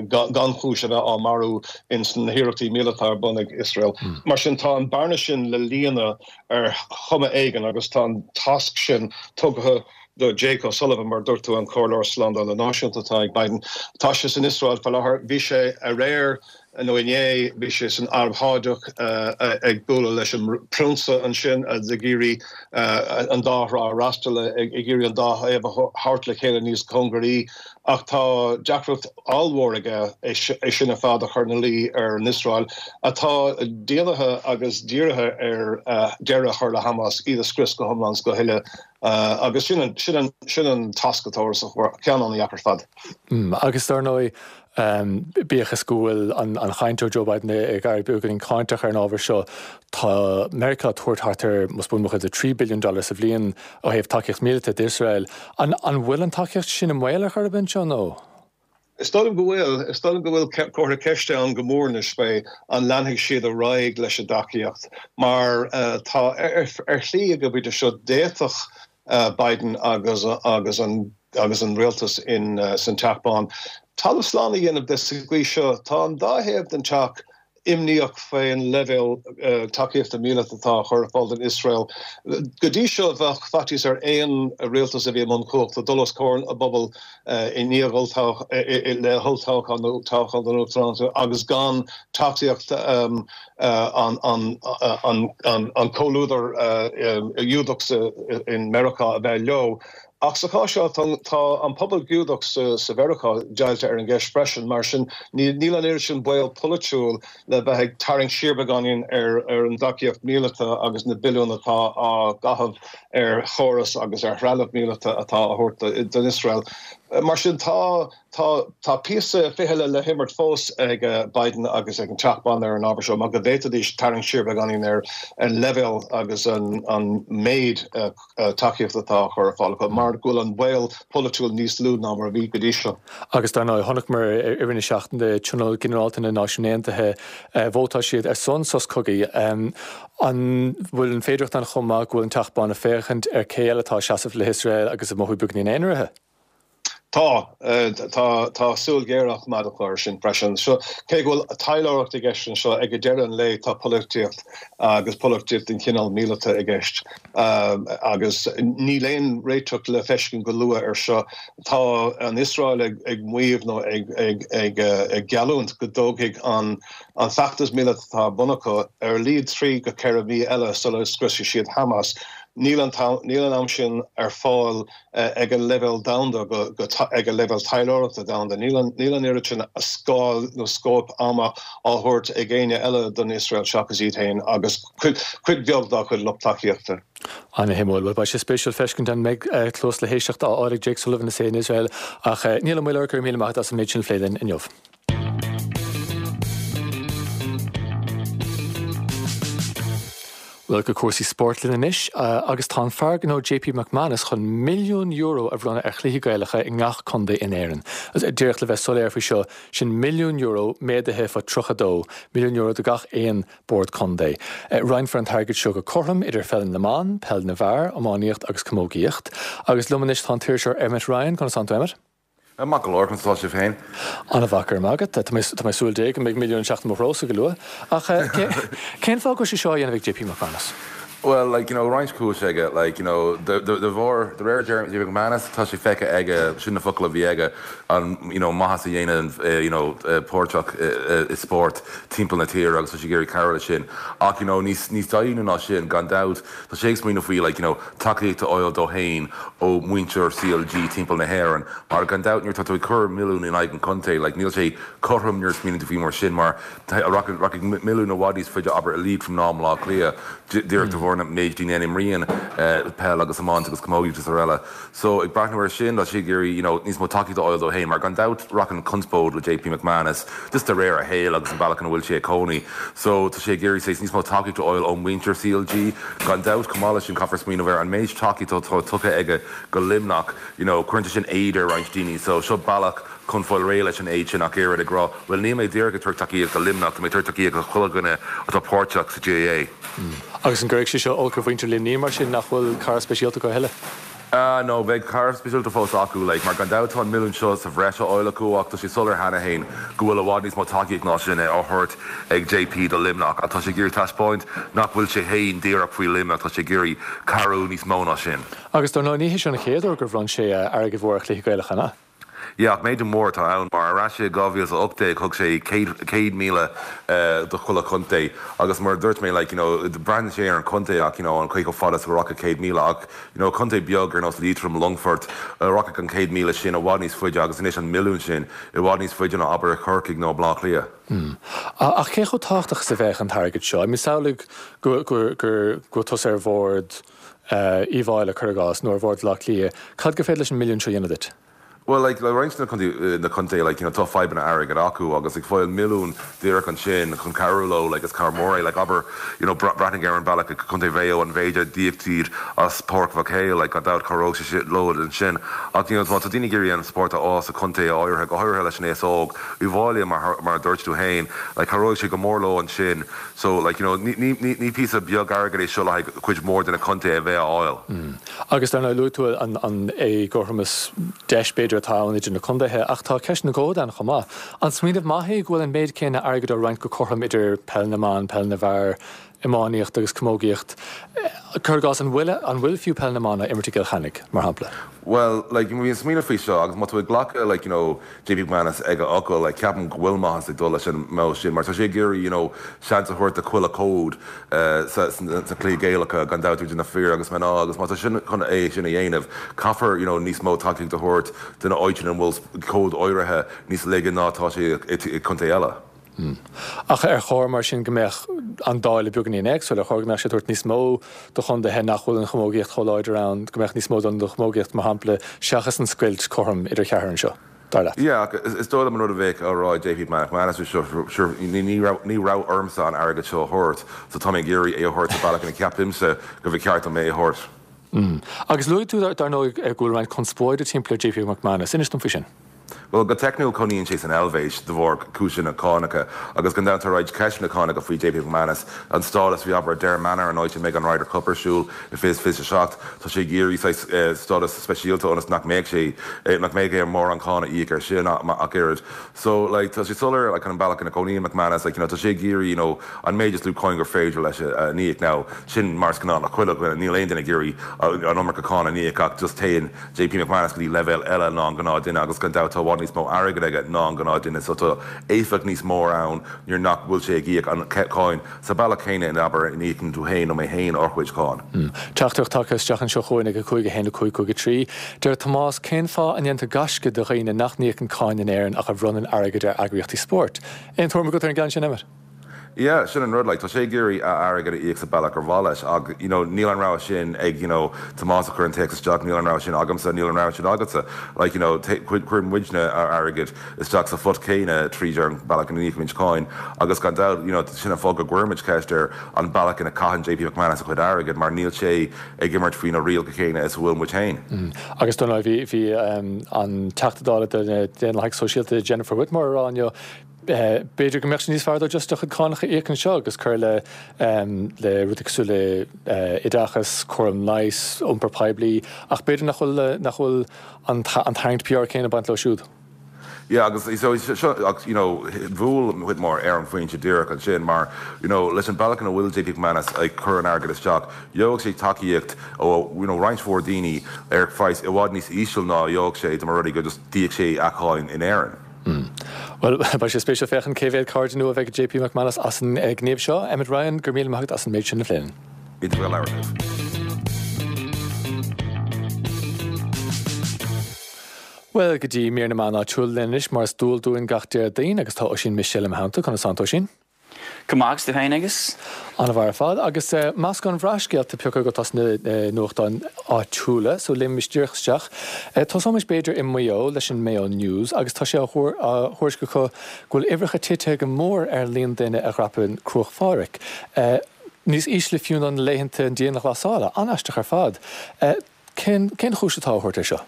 gan chúis a bheith á marú ins na hiarrachtaí míleata ar bun ag Iosrael. Mar sin tá an bearna sin le líonadh ar chuma éigin agus tá an tasc sin tugtha do Jake O'Sullivan, mar a dúirt tú, an Comhairleoir Slándála Náisiúnta atá ag Biden. Tá sé san Iosrael faoi láthair. Bhí sé aréir, nó inné, bhí sé san Araib Shádach ag bualadh leis an bPrionsa ansin ag iarraidh an dá thrá a fhreastal, ag iarraidh an dá thaobh a thabhairt le chéile níos cóngaraí. Ach tá deacracht ollmhór aige é sin ar fad a chur ina luí ar an Iosrael, atá déanamh agus dírithe ar deireadh a chur le Hamas, iad a scrios go hiomlán is go huile. Agus sin an, sin an, sin an tasc atá orthu, ceann an-deacair ar fad.
Agus dar ndóigh, bíodh is go bhfuil an chaint ó Joe Biden ag éirí beagáinín cáinteach ar an ábhar seo, tá Meiriceá ag tabhairt thart ar, más buan mo chuimhne, trí billiún dollar sa bhliain ó thaobh tacaíocht míleata d'Iosrael. An bhfuil an tacaíocht sin i mbaol ar chor ar bith anseo nó?
Is dóigh liom go bhfuil. Is dóigh liom go bhfuil comhartha ceiste ann go mór anois faoi an leanfaidh siad ar aghaidh leis an dtacaíocht mar tá ar shlí ag an bpointe seo d'fhéadfadh Biden agus agus an agus an rialtas in san Teach Bán talamh slán a dhéanamh de sa gcaoi seo. Tá an dá thaobh den teach imníoch faoin leibhéal tacaíochta míleata atá á chur ar fáil don Iosrael. Go dtí seo bheadh faitíos ar aon rialtas a bhí i mbun cumhachta dul os comhair a bpobal i ndiaidh le holltoghchán nó toghchán don uachtaránacht agus gan tacaíocht an comhluadar Giúdach in Meiriceá a bheith leo. Ach sa chás seo tá an pobal Giúdach sa Mheiriceá deighilte ar an gceist freisin, mar sin níl an oiread sin baol polaitiúil le bheith ag tarraingt siar beagáinín ar an dtacaíocht mhíleata agus na billiúin atá á gcaitheamh ar chóras agus ar threalamh míleata atá á thabhairt don Iosrael. Mar sin tá tá tá píosa fichille le himirt fós ag Biden agus ag an Teach Bán ar an ábhar seo mar go bhféadfaidís tarraingt siar beagáinín ar an leibhéal agus an an méid tacaíochta atá á chur ar fáil acu mar go bhfuil an baol polaitiúil níos lú ná mar a bhí go dtí seo.
Agus dar ndóigh, chonaiceamar i rith na seachtaine Tionól Ginearálta na Náisiún Aontaithe, vótáil siad ar son sos cogaidh. An bhfuil an féidearthacht ann chomh maith go bhfuil an Teach Bán ag féachaint ar cé eile atá ag seasamh le hIosrael agus ag mothú beagáinín aonaraithe?
Tá, tá, tá súil ghéar á coimeád acu air sin freisin. So, cé go bhfuil taidhleoireacht i gceist anseo, ag deireadh an lae tá polaitíocht agus polaitíocht den chineál míleata i gceist. Agus níl aon réiteach le feiscint go luath air seo. Tá an Iosrael ag, ag maíomh nó ag, ag, ag, ag geallúint go dtógfaidh an, an feachtas míleata atá ar bun acu ar a laghad trí go ceithre mhí eile sula scriosfaidh siad Hamas. Níl an níl an am sin ar fáil ag an leibhéal domhanda go ag an leibhéal taidhleoireachta domhanda. Níl an níl an oiread sin scáil nó scóip ama á thabhairt ag éinne eile don Iosrael seachas iad féin agus cuid cuid bheag dá chuid lucht tacaíochta.
Ana-shuimiúil. Bhuel, beidh sé spéisiúil feiscint an mbeidh cluas le héisteacht á fháil ag Jake Sullivan is é in Iosrael ach Niall Ó Maoileoir, go raibh míle maith agat as an méid sin a phlé linn inniu. Bhuel, go cúrsaí spóirt linn anois agus tá an fear gnó J P McManus chun milliún euro a bhronnadh ar chluichí Gaelacha i ngach contae in Éirinn. Díreach le bheith soiléir faoi seo, sin milliún euro méadaithe fá tríocha dó, milliún euro do gach aon bord contae. Roinnfear an t-airgead seo go cothrom idir pheil na mban, peil na bhfear, iománaíocht agus camógaíocht. Agus liom anois tá an t-iriseoir Emmet Ryan, conas tánn tú Emmet?
Maith go leor, conas atá sibh féin?
An-mhaith, go raibh maith agat. Tá mé tá mé súil Dé go mbeidh milliún ag teacht i mo threosa go luath. Ach cén fáth go bhfuil sé seo á dhéanamh ag J P McManus?
Well, like, you know, roinnt cúis aige, like, you know, de de de bharr, de réir J P McManus, tá sé feicthe aige, sin na focail a bhí aige, an, you know, maitheas a dhéanann, you know, páirteach i spórt timpeall na tíre agus tá sé ag iarraidh cabhrú leis sin. Ach, you know, níos níos doimhne ná sin, gan dabht, tá sé ag smaoineamh faoi, like, you know, tacaíocht a fháil dó féin ó mhuintir C L G timpeall na hÉireann, mar gan dabht nuair atá tú ag cur milliún in aghaidh an chontae, like, níl sé cothrom nuair a smaoiníonn tú faoi mar sin, mar rachaidh milliún i bhfad níos faide, abair, i Liatroim ná i mBaile Átha Cliath, díreach de bharr na méid daoine a imríonn peil agus iomáint agus camógaíocht is araile. So, ag breathnú air sin, tá sé ag iarraidh, you know, níos mó tacaíocht a fháil dó féin, mar gan dabht rachann conspóid le J P McManus just de réir a shaoil agus an bealach ina bhfuil sé ag cónaí. So, tá sé ag iarraidh saghas níos mó tacaíocht a fháil ó mhuintir C L G. Gan dabht, chomh maith leis sin, caithfear smaoineamh ar an méid tacaíochta atá tugtha aige go Luimneach, you know, cuireann sé sin éad ar roinnt daoine. So, seo bealach chun fáil réidh leis an éad sin ach oiread, ag rá, bhuel, níl mé díreach ag tabhairt tacaíocht do Luimneach, tá mé ag tabhairt tacaíocht do chuile dhuine atá páirteach sa G A A.
Agus an gcuirfidh sé seo olc ar mhuintir Luimnigh mar sin nach bhfuil cara speisialta acu a thuilleadh?
Ah no, beidh cara speisialta fós acu, like, mar gan dabht tá an milliún seo sa bhreis á fháil acu ach tá sé soiléir cheana féin go bhfuil i bhfad níos mó tacaíocht ná sin á thabhairt ag J P do Luimneach ach tá sé ag iarraidh taispeáint nach bhfuil sé féin díreach faoi Luimneach, tá sé ag iarraidh cabhrú níos mó ná sin.
Agus dar ndóigh ní hé seo an chéad uair gur bhronn sé airgead mhór ar chluichí Gaelacha, an ea?
Yeah, ach méadú mór atá ann mar ar ais i dhá mhíle is a hocht déag thug sé céad míle do chuile chontae agus mar a dúirt mé like you know braitheann sé ar an chontae ach you know an cé chomh fada is a rachadh céad míle ach you know contae beag ar nós Liatroim, Longfort rachadh an céad míle sin i bhfad níos faide agus anois an milliún sin i bhfad níos faide ná abair Corcaigh nó Baile Átha Cliath.
Mm. Ach cé chomh tábhachtach is a bheadh an t-airgead seo? I mean samhlaigh go go go go tusa ar bhord Uíbh Fhailí cuir i gcás nó ar bhord Bhaile Átha Cliath, cad gur féidir leis an milliún seo a dhéanamh duit?
Well like le roinnt de na contaetha like you know tá fadhbanna airgid acu agus ag fáil milliún díreach ansin chun cabhrú leo like is cabhair mór é like abair you know breathnaigh ar an bealach ag Contae Mhaigh Eo an mhéid a d'íoc siad as Páirc Mhic Éil like gan dabht cabhróidh sé sin leo ansin ach you know má tá daoine ag iarraidh an spórt a fhás sa chontae áirithe go háirithe leis an aos óg Uíbh Fhailí mar mar a dúirt tú féin like cabhróidh sé go mór leo ansin so like you know ní ní ní ní píosa beag airgid é seo le haghaidh cuid mhór de na contaetha a bheith á fháil.
Mm. Agus dar ndóigh luaigh tú an an éagothromas deis b'fhéidir atá ann idir na contaetha, ach tá ceist na gcód ann chomh maith. An smaoineamh maith é go bhfuil an méid céanna airgid á roinnt go cothrom idir peil na mban, peil na bhfear, iománaíocht agus camógaíocht? Cuir i gcás, an bhfuil an bhfuil fiú peil na mban á imirt i gCill Chainnigh, mar shampla?
Well, like, bhí an smaoineamh faoi seo agus má tá tú ag glacadh like, you know, JP McManus ag a fhocal, like, ceapaim go bhfuil maitheas ag dul leis an modh sin mar tá sé ag iarraidh, you know, seans a thabhairt do chuile chód sa sna cluichí Gaelacha gan dabht idir na fir agus mná agus má tá sin chun é sin a dhéanamh caithfear you know, níos mó tacaíocht a thabhairt do na áiteanna ina bhfuil cód áirithe níos laige ná atá sé i gcontae eile.
Ach ar chóir mar sin go mbeadh an dáileadh beagáinín éagsúil, ar chóir go mbeadh sé ag tabhairt níos mó do chontaetha nach bhfuil an chamógaíocht chomh láidir ann, go mbeadh níos mó don chamógaíocht mar shampla seachas an scoilt cothrom idir cheathrar anseo, dar leat?
Yeah, ach is dóigh liom an rud a bheadh á rá ag JP McManus seo, sure, ní ní raibh ormsa an airgead seo a thabhairt, so tá mé ag iarraidh é a thabhairt sa bhealach ina ceapaimse go bhfuil ceart dom é a thabhairt.
Agus luaigh tú dar ndóigh go bhfuil roinnt conspóide timpeall ar JP McManus, inis dom faoi sin.
Bhuel, go teicniúil cónaíonn sé san Eilvéis de bharr cúiseanna cánacha agus gan dabht tá roinnt ceisteanna cánacha faoi JP McManus, an stádas faoi abair Adare Manor an áit a mbeidh an Ryder Cup ar siúl i fiche fiche a seacht. Tá sé ag iarraidh saghas stádas speisialta ionas nach mbeadh sé nach mbeadh air mórán cáin a íoc air sin ach oiread. So like tá sé soiléir like an bealach ina gcónaíonn McManus like you know tá sé ag iarraidh you know an méid is lú cáin gur féidir leis a íoc. Now sin mar is gnáth le chuile dhuine, níl aon duine ag iarraidh an iomarca cáin a íoc ach just téann JP McManus go dtí leibhéal eile ná an gnáth-duine agus gan dabht tá i bhfad níos mó airgid aige ná an gnáth-duine so tá éifeacht níos mór ann nuair nach bhfuil sé ag íoc an cáin sa bealach céanna in abair in íocann tú féin nó mé féin ár chuid cáin.
Teachtaireacht tagtha isteach anseo chugainn ag a cúig a haon a cúig cúig a trí. Deir Tomás, Cén fáth a ndéantar gaisce de dhaoine nach n-íocann cáin in Éirinn ach a bhronnann airgead ar eagraíochtaí spóirt? Aon tuairim agat ar an gceann sin, Emmet?
Yeah, sin an rud, like, tá sé ag iarraidh a airgead a íoc sa bealach gur mhaith leis ach, you know, níl an rogha sin ag, you know, Tomás a chuir an téacs isteach, níl an rogha sin agamsa, níl an rogha sin agatsa. Like, you know, cuireann muidne ár airgead isteach sa phot céanna tríd ar an bealach ina n-íocaimid cáin agus gan dabht, you know, sin an fáth go gcuirimid ceist ar an bealach ina caitheann JP McManus a chuid airgid mar níl sé ag imirt faoi na rialacha céanna is a bhfuil muid féin.
Agus dar ndóigh, bhí, bhí an Teachta Dála do na Daonlathaigh Sóisialta Jennifer Whitmore ag rá inniu, B'fhéidir go mbeadh sé níos fearr dó just do chuid cánach a íoc anseo agus cur le le rudaí cosúil le oideachas, cúram leighis, iompar poiblí, ach b'fhéidir nach bhfuil nach bhfuil an an tarraingt PR céanna ag baint leo siúd.
Yeah agus so seo ach you know bhuail Whitmore ar an phointe díreach ansin mar you know leis an bealach ina bhfuil JP McManus ag cur an airgid isteach gheobhadh sé tacaíocht ó you know roinnt mhór daoine ar phraghas i bhfad níos íseal ná a gheobhadh sé dá mba rud é go just d'íoc sé a cháin in Éirinn.
Bhuel, beidh sé spéisiúil féachaint cé mhéad cairde nua a bheidh ag JP McManus as an ngníomh seo. Emmet Ryan, go raibh míle maith agat as an méid sin a phlé linn.
Iontach a bheith ag labhairt libh.
Bhuel, go dtí mír na meán áitiúil linn anois, mar is dual dúinn gach Déardaoin, agus tá Oisín Michel i mo theannta. Conas tánn tú, Oisín?
Go maith, agus tú féin, Aengus?
An-mhaith ar fad. Agus meascán bhreá scéalta pioctha agat as na nuachtáin áitiúla, so léimimis díreach isteach. Tosóimis b'fhéidir i Maigh Eo leis an Mayo News agus tá sé á thuairisc acu go bhfuil uimhreacha titithe go mór ar an líon duine a dhreapann Cruach Phádraig. Níos ísle fiú ná na laethanta dianghlasála. An-aisteach ar fad. Cén chúis atá á thabhairt air seo?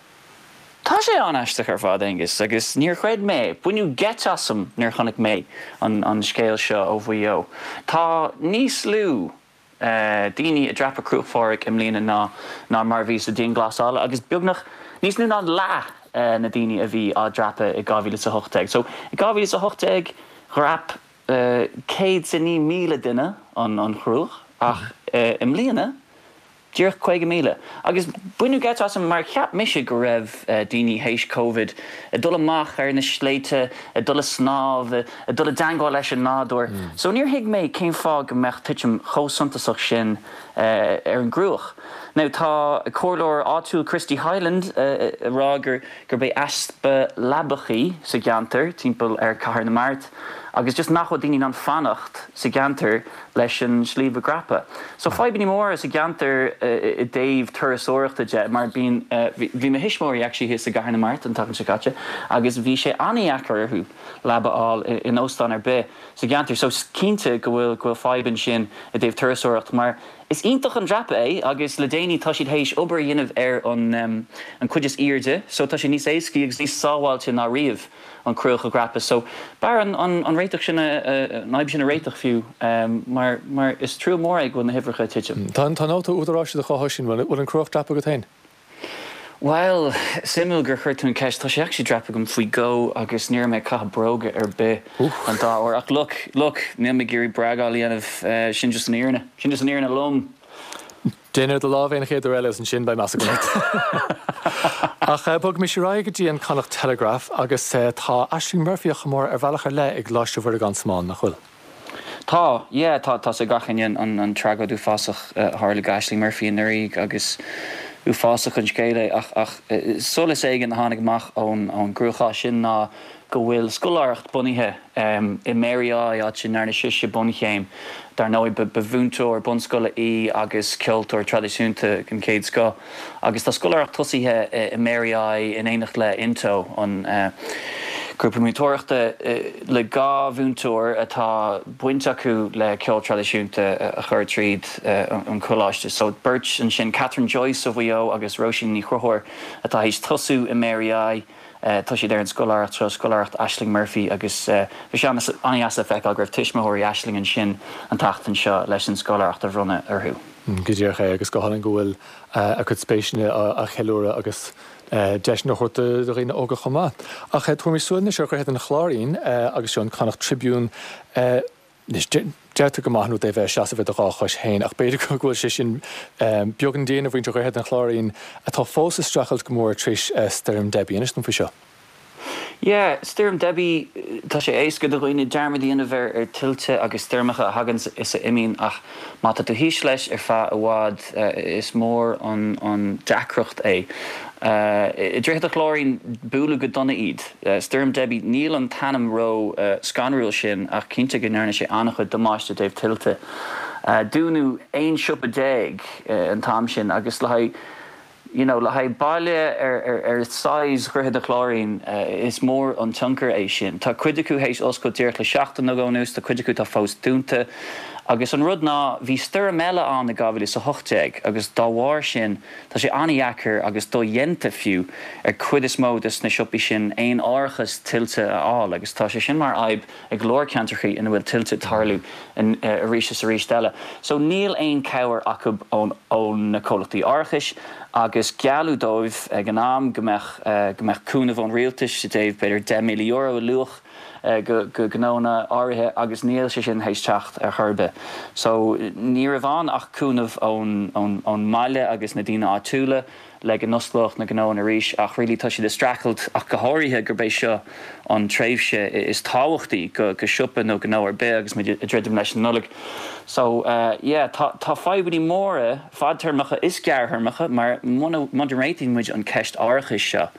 Tá sé an-aisteach ar fad, Aengus, agus níor chreid mé, baineadh geit asam nuair a chonaic mé an scéal seo ó Mhaigh Eo. Tá níos lú daoine ag dreapadh Cruach Phádraig i mbliana ná ná mar a bhí sa dianghlasáil agus beagnach níos lú ná leath na daoine a bhí á dreapadh i dhá mhíle is a hocht déag. So, i dhá mhíle is a hocht déag dhreap céad is a naoi míle duine an Chruach ach i mbliana, Díreach caoga míle. Agus baineadh geit asam mar cheap mise go raibh daoine théis Covid ag dul amach ar na sléibhte, ag dul ag snámh, ag dul i dteangmháil leis an nádúr. So níor thuig mé cén fáth go mbeadh titim chomh suntasach sin ar an gCruach. Now tá comhairleoir áitiúil Christy Hyland ag rá gur gurb é easpa leabachaí sa gceantar timpeall ar Cathair na Mart agus just nach bhfuil daoine in ann fanacht sa gceantar leis an sliabh a dhreapadh. So fadhbanna móra sa gceantar i dtaobh turasóireachta de mar bíonn bhí mo thuismitheoirí actually thíos i gCathair na Mart an tseachtain seo caite agus bhí sé an-dheacair orthu leaba a fháil in óstán ar bith sa gceantar. So cinnte go bhfuil go bhfuil fadhb ansin i dtaobh turasóireacht mar is iontach an dreapadh é agus le déanaí tá siad théis obair a dhéanamh ar an an cuid is airde so tá sé níos éascaí agus níos sábháilte ná riamh an Cruach a dhreapadh. So b'fhearr an an réiteach sin a an fhadhb sin a réiteach fiú mar mar is trua mór é go bhfuil na huimhreacha ag titim.
Tá tá nóta údaráis i do chás Oisín, bhfuil an Cruach dreaptha agat féin?
Bhuel, suimiúil gur chuir tú an ceist. Tá sé actually dreaptha agam faoi dhó agus ní raibh mé ag caitheamh bróga ar bith an dá uair. Ach look, look, níl mé ag iarraidh bragáil a dhéanamh, sin just an fhírinne. Sin just an fhírinne lom.
Déan ar do lámh é an chéad uair eile agus ansin beidh meas agam ort. Ach bogaimis ar aghaidh go dtí an Connacht Telegraph agus tá Ashling Murphy á chomóradh ar bhealach ar leith i gColáiste Mhuire gan Smál, nach bhfuil?
Tá, yeah, tá, tá 's ag gach éinne an an tragóid uafásach a tharla go Ashling Murphy anuraidh agus uafásach an scéal é ach ach solas éigin a tháinig amach ón ón gcruachás sin ná go bhfuil scoláireacht bunaithe i Mary I, áit a ndearna sise bunchéim. Dar ndóigh, ba mhúinteoir bunscoile í agus ceoltóir traidisiúnta den chéad scoth. Agus tá scoláireacht tosaithe i Mary I in éineacht le Into, an grúpa múinteoireachta le dhá mhúinteoir atá baint acu le ceol traidisiúnta a chur tríd an choláiste. So beirt ansin, Catherine Joyce ó Mhaigh Eo agus Róisín Ní Chonchúir atá théis tosú i Mary I. Tá siad ar an scoláireacht seo, scoláireacht Ashling Murphy, agus bhí sé an-deas le feiceáil go raibh tuismitheoirí Ashling ansin an tseachtain seo leis an scoláireacht a bhronnadh orthu.
Go díreach é, agus go hálainn go bhfuil a cuid spéiseanna á cheiliúradh agus deiseanna á thabhairt do dhaoine óga chomh maith. Ach tabharaimis súil anois ar Dhroichead an Chláirín agus seo an Connacht Tribune. Anois, deirtear gur maith an rud é bheith ag seasamh ar do dhá chois féin, ach b'fhéidir go bhfuil sé sin beagán dian ar mhuintir Dhroichead an Chláirín, atá fós ag streachailt go mór tar éis Stoirm Debbie. Inis dom faoi seo.
Yeah, Stoirm Debbie, tá sé éasca do dhaoine dearmad a dhéanamh ar ar tuilte agus stoirmeacha a thagann is a imíonn ach má tá tú thíos leis ar feadh i bhfad is mór an an deacracht é. I Droichead an Chláirín buaileadh go dona iad. Stoirm Debbie, níl an t-ainm ró scanrúil sin ach cinnte go ndearna sé an-chuid damáiste i dtaobh tuilte. Dúnadh aon siopa déag an t-am sin agus le haghaidh you know le haghaidh baile ar ar size Dhroichead an Chláirín is mór an tionchar é sin. Tá cuid acu théis oscailt díreach le seachtain nó dhó anuas, tá cuid acu atá fós dúnta. Agus an rud ná, bhí stoirm eile ann i dhá mhíle is a hocht déag agus dá bharr sin tá sé an-dheacair agus dodhéanta fiú ar cuid is mó des na siopaí sin aon árachas tuilte a fháil agus tá sé sin mar fhadhb ag go leor ceantrachaí ina bhfuil tuilte ag tarlú arís is arís eile. So níl aon cabhair acu ón ó na comhlachtaí árachais agus gealladh dóibh ag an am go mbeadh go mbeadh cúnamh ón rialtas i dtaobh b'fhéidir deich míle euro i luach go gnónna áirithe agus níl sé sin théis teacht ar chor ar bith. So ní raibh ann ach cúnamh ón ón mbaile agus na daoine áitiúla le go n-osclódh na gnóanna arís ach really tá siad ag streachailt ach go háirithe gurb é seo an tréimhse is tábhachtaí go go siopa nó gnó ar bith agus muid ag druidim leis an Nollaig. So yeah tá tá fadhbanna móra fadtéarmacha is gearrthéarmacha mar muna muna réitíonn muid an ceist árachais seo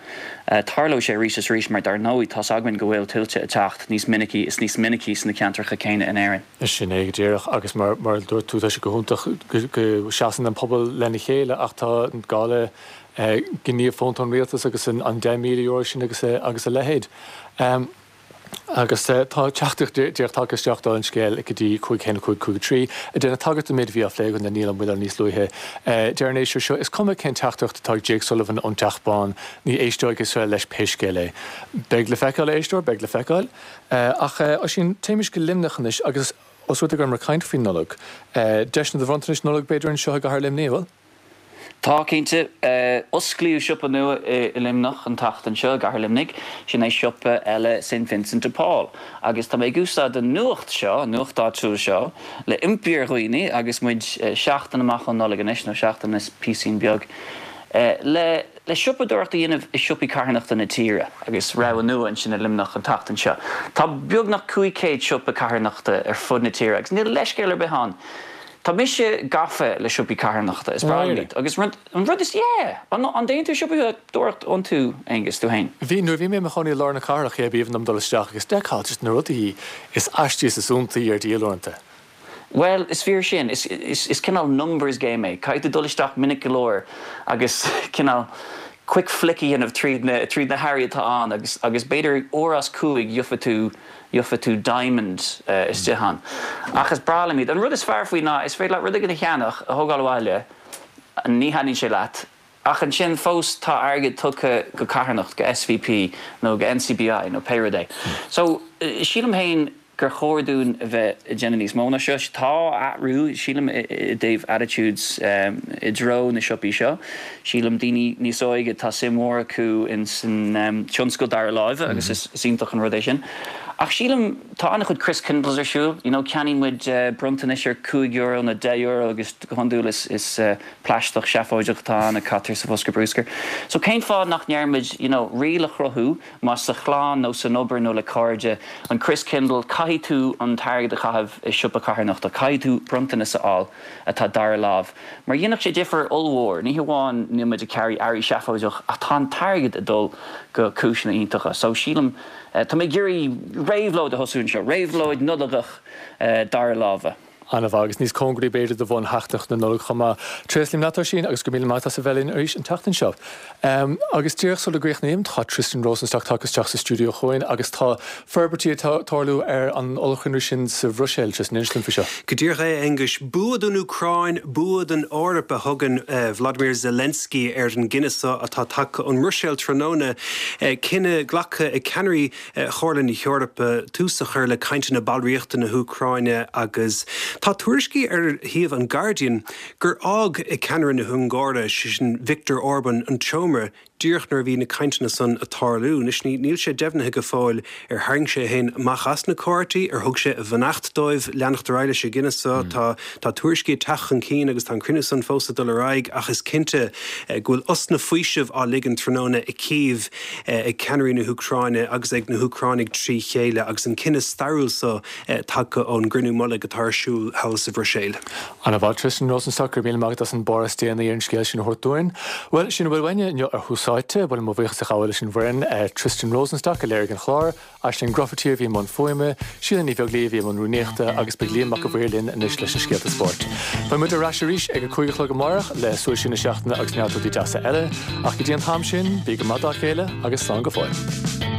Tarlóidh sé arís is arís mar dar ndóigh tá's againn go bhfuil tuilte ag teacht níos minicí is níos minicí sna ceantracha céanna in Éirinn.
Sin é go díreach agus mar mar a dúirt tú tá sé go hiontach go seasann an pobal lena chéile ach tá gá le gníomh fónta ón rialtas agus an deich míle euro sin agus agus a leithéid. Agus tá teachtaireacht díreach tagtha isteach dála an scéil go dtí cúig haon cúig cúig a trí, ag déanamh tagairt don méid a bhí á phlé againn le Niall Ó Maoileoin níos luaithe. Deir an éisteoir seo, Is cuma cén teachtaireacht atá ag Jake Sullivan ón Teach Bán, ní éisteoidh Iosrael leis pé scéal é. Beidh le feiceáil, a éisteoir, beidh le feiceáil. Ach, Oisín, téimis go Luimneach anois agus os rud é go rabhamar ag caint faoin Nollaig, deiseanna do bhronntanais Nollag b'fhéidir anseo i gcathair Luimnigh, an bhfuil?
Tá, cinnte. Osclaíodh siopa nua i Luimneach an tseachtain seo, i gcathair Luimnigh, sin é siopa eile Saint Vincent de Paul. Agus tá mé ag úsáid an nuacht seo, an nuacht áitiúil seo, le impí ar dhaoine, agus muid seachtain amach ón Nollaig anois, nó seachtain is píosín beag, le le siopadóireacht a dhéanamh i siopaí carthanachta na tíre, agus rogha nua ansin i Luimneach an tseachtain seo. Tá beagnach cúig chéad siopa carthanachta ar fud na tíre, agus níl leithscéal ar bith ann. Tá mise gafa le siopaí carthanachta, is breá liom iad. Agus an rud is, yeah! An dtéann tú siopadóireacht iontu, Aengus, tú féin?
Bhí, nuair a bhí mé i mo chónaí i lár na cathrach, yeah, b'aoibhinn liom dul isteach agus d'fheiceáil just na rudaí is aistí is is iontaí ar díol uaireanta.
Bhuel, is fíor sin. Is, is, is cineál numbers game é. Caithfidh tú dul isteach minic go leor agus cineál quick flick a dhéanamh tríd na, tríd na hearraí atá ann agus, agus b'fhéidir uair as cúig gheofaidh tú, gheofaidh tú diamond istigh ann. Ach is breá liom iad. An rud is fearr faoi ná is féidir leat rud éigin a cheannach, a thógáil abhaile, ní thaitníonn sé leat, ach ansin fós tá airgead tugtha go carthanacht, go SVP nó go NCBI nó pé rud é. So, sílim féin gur chóir dúinn a bheith ag déanamh níos mó ná seo. Tá athrú, sílim, i dtaobh attitudes i dtreo na siopaí seo. Sílim daoine níos óige, tá suim mhór acu ins an tionscal dara láimhe agus is iontach an rud é sin. Ach sílim, tá an-chuid Christkindles ar siúl, you know, ceannaíonn muid bronntanais ar cúig euro nó deich euro agus go hiondúil is is plaisteach seafóideach atá ann a caitear sa bhosca bruscair. So cén fáth nach ndearna muid, you know, riail a chruthú, más sa chlann nó san obair nó le cairde, an Christkindle, caithfidh tú an t-airgead a chaitheamh i siopa carthanachta, caithfidh tú bronntanas a fháil atá dara lámh. Mar dhéanfadh sé difear ollmhór, ní hamháin níl muid ag ceannach earraí seafóideach ach tá an t-airgead ag dul go cúiseanna iontacha. So sílim, tá mé ag iarraidh réabhlóid a thosú anseo, réabhlóid Nollagach dara láimhe.
An-mhaith, agus níos cóngaraí b'fhéidir do bhun sheachtain na Nollag chomh maith. Tréaslaím leat, Oisín, agus go raibh míle maith agat as a bheith linn arís an tseachtain seo. Agus díreach sula gcríochnaím, tá Tristan Rosenstock tagtha isteach sa stiúideo chugainn agus tá forbairtí ag tarlú ar an ollchruinniú sin sa Bhruiséil. Tristan, inis dúinn faoi seo.
Go díreach é, a Aonghuis. Bua don Úcráin, bua don Eoraip a thugann Vladimir Zelensky ar an gcinneadh so atá tagtha ón mBruiséil tráthnóna. Cinneadh glactha ag ceannairí Chomhairle na hEorpa tús a chur le cainteanna ballraíochta na hÚcráine agus tá tuairiscí ar shuíomh an Guardian gur fhág ceannaire na hUngáire, sé sin Viktor Orban, an tseomra díreach nuair a bhí na cainteanna san ag tarlú. Anois níl sé deimhnithe go fóill ar tharraing sé é féin amach as na comhráití, ar thug sé a bheannacht dóibh leanacht ar aghaidh leis an gcinneadh so. Tá tá tuairiscí ag teacht chun cinn agus tá an cruinniú san fós ag dul ar aghaidh ach is cinnte go bhfuil osna faoisimh á ligean tráthnóna i Kyiv ag ceannairí na hÚcráine agus ag na hÚcránaigh trí chéile agus an cinneadh stairiúil so tagtha ón gcruinniú mullaigh atá ar siúl thall sa Bhruiséil.
An-mhaith, Tristan Rosenstock, go raibh míle maith agat as an barr is déanaí ar an scéal sin a thabhairt dúinn. Bhuel, sin a bhfuil uainne inniu ar Thús Áite. Ba mhaith liom mo bhuíochas a ghabháil leis an bhfoireann, Tristan Rosenstock a léirigh an clár, Aisling Grufferty a bhí i mbun fuaime, Síle Ní Bheaglaoí a bhí i mbun rúnaíochta agus beidh Liam Mac a' Mhaoir linn anois leis na scéalta spóirt. Beidh muid ar ais arís ag a cúig a chlog amárach le súil siar na seachtaine agus neart rudaí deasa eile. Ach go dtí an t-am sin, bí go maith dá chéile agus slán go fóill.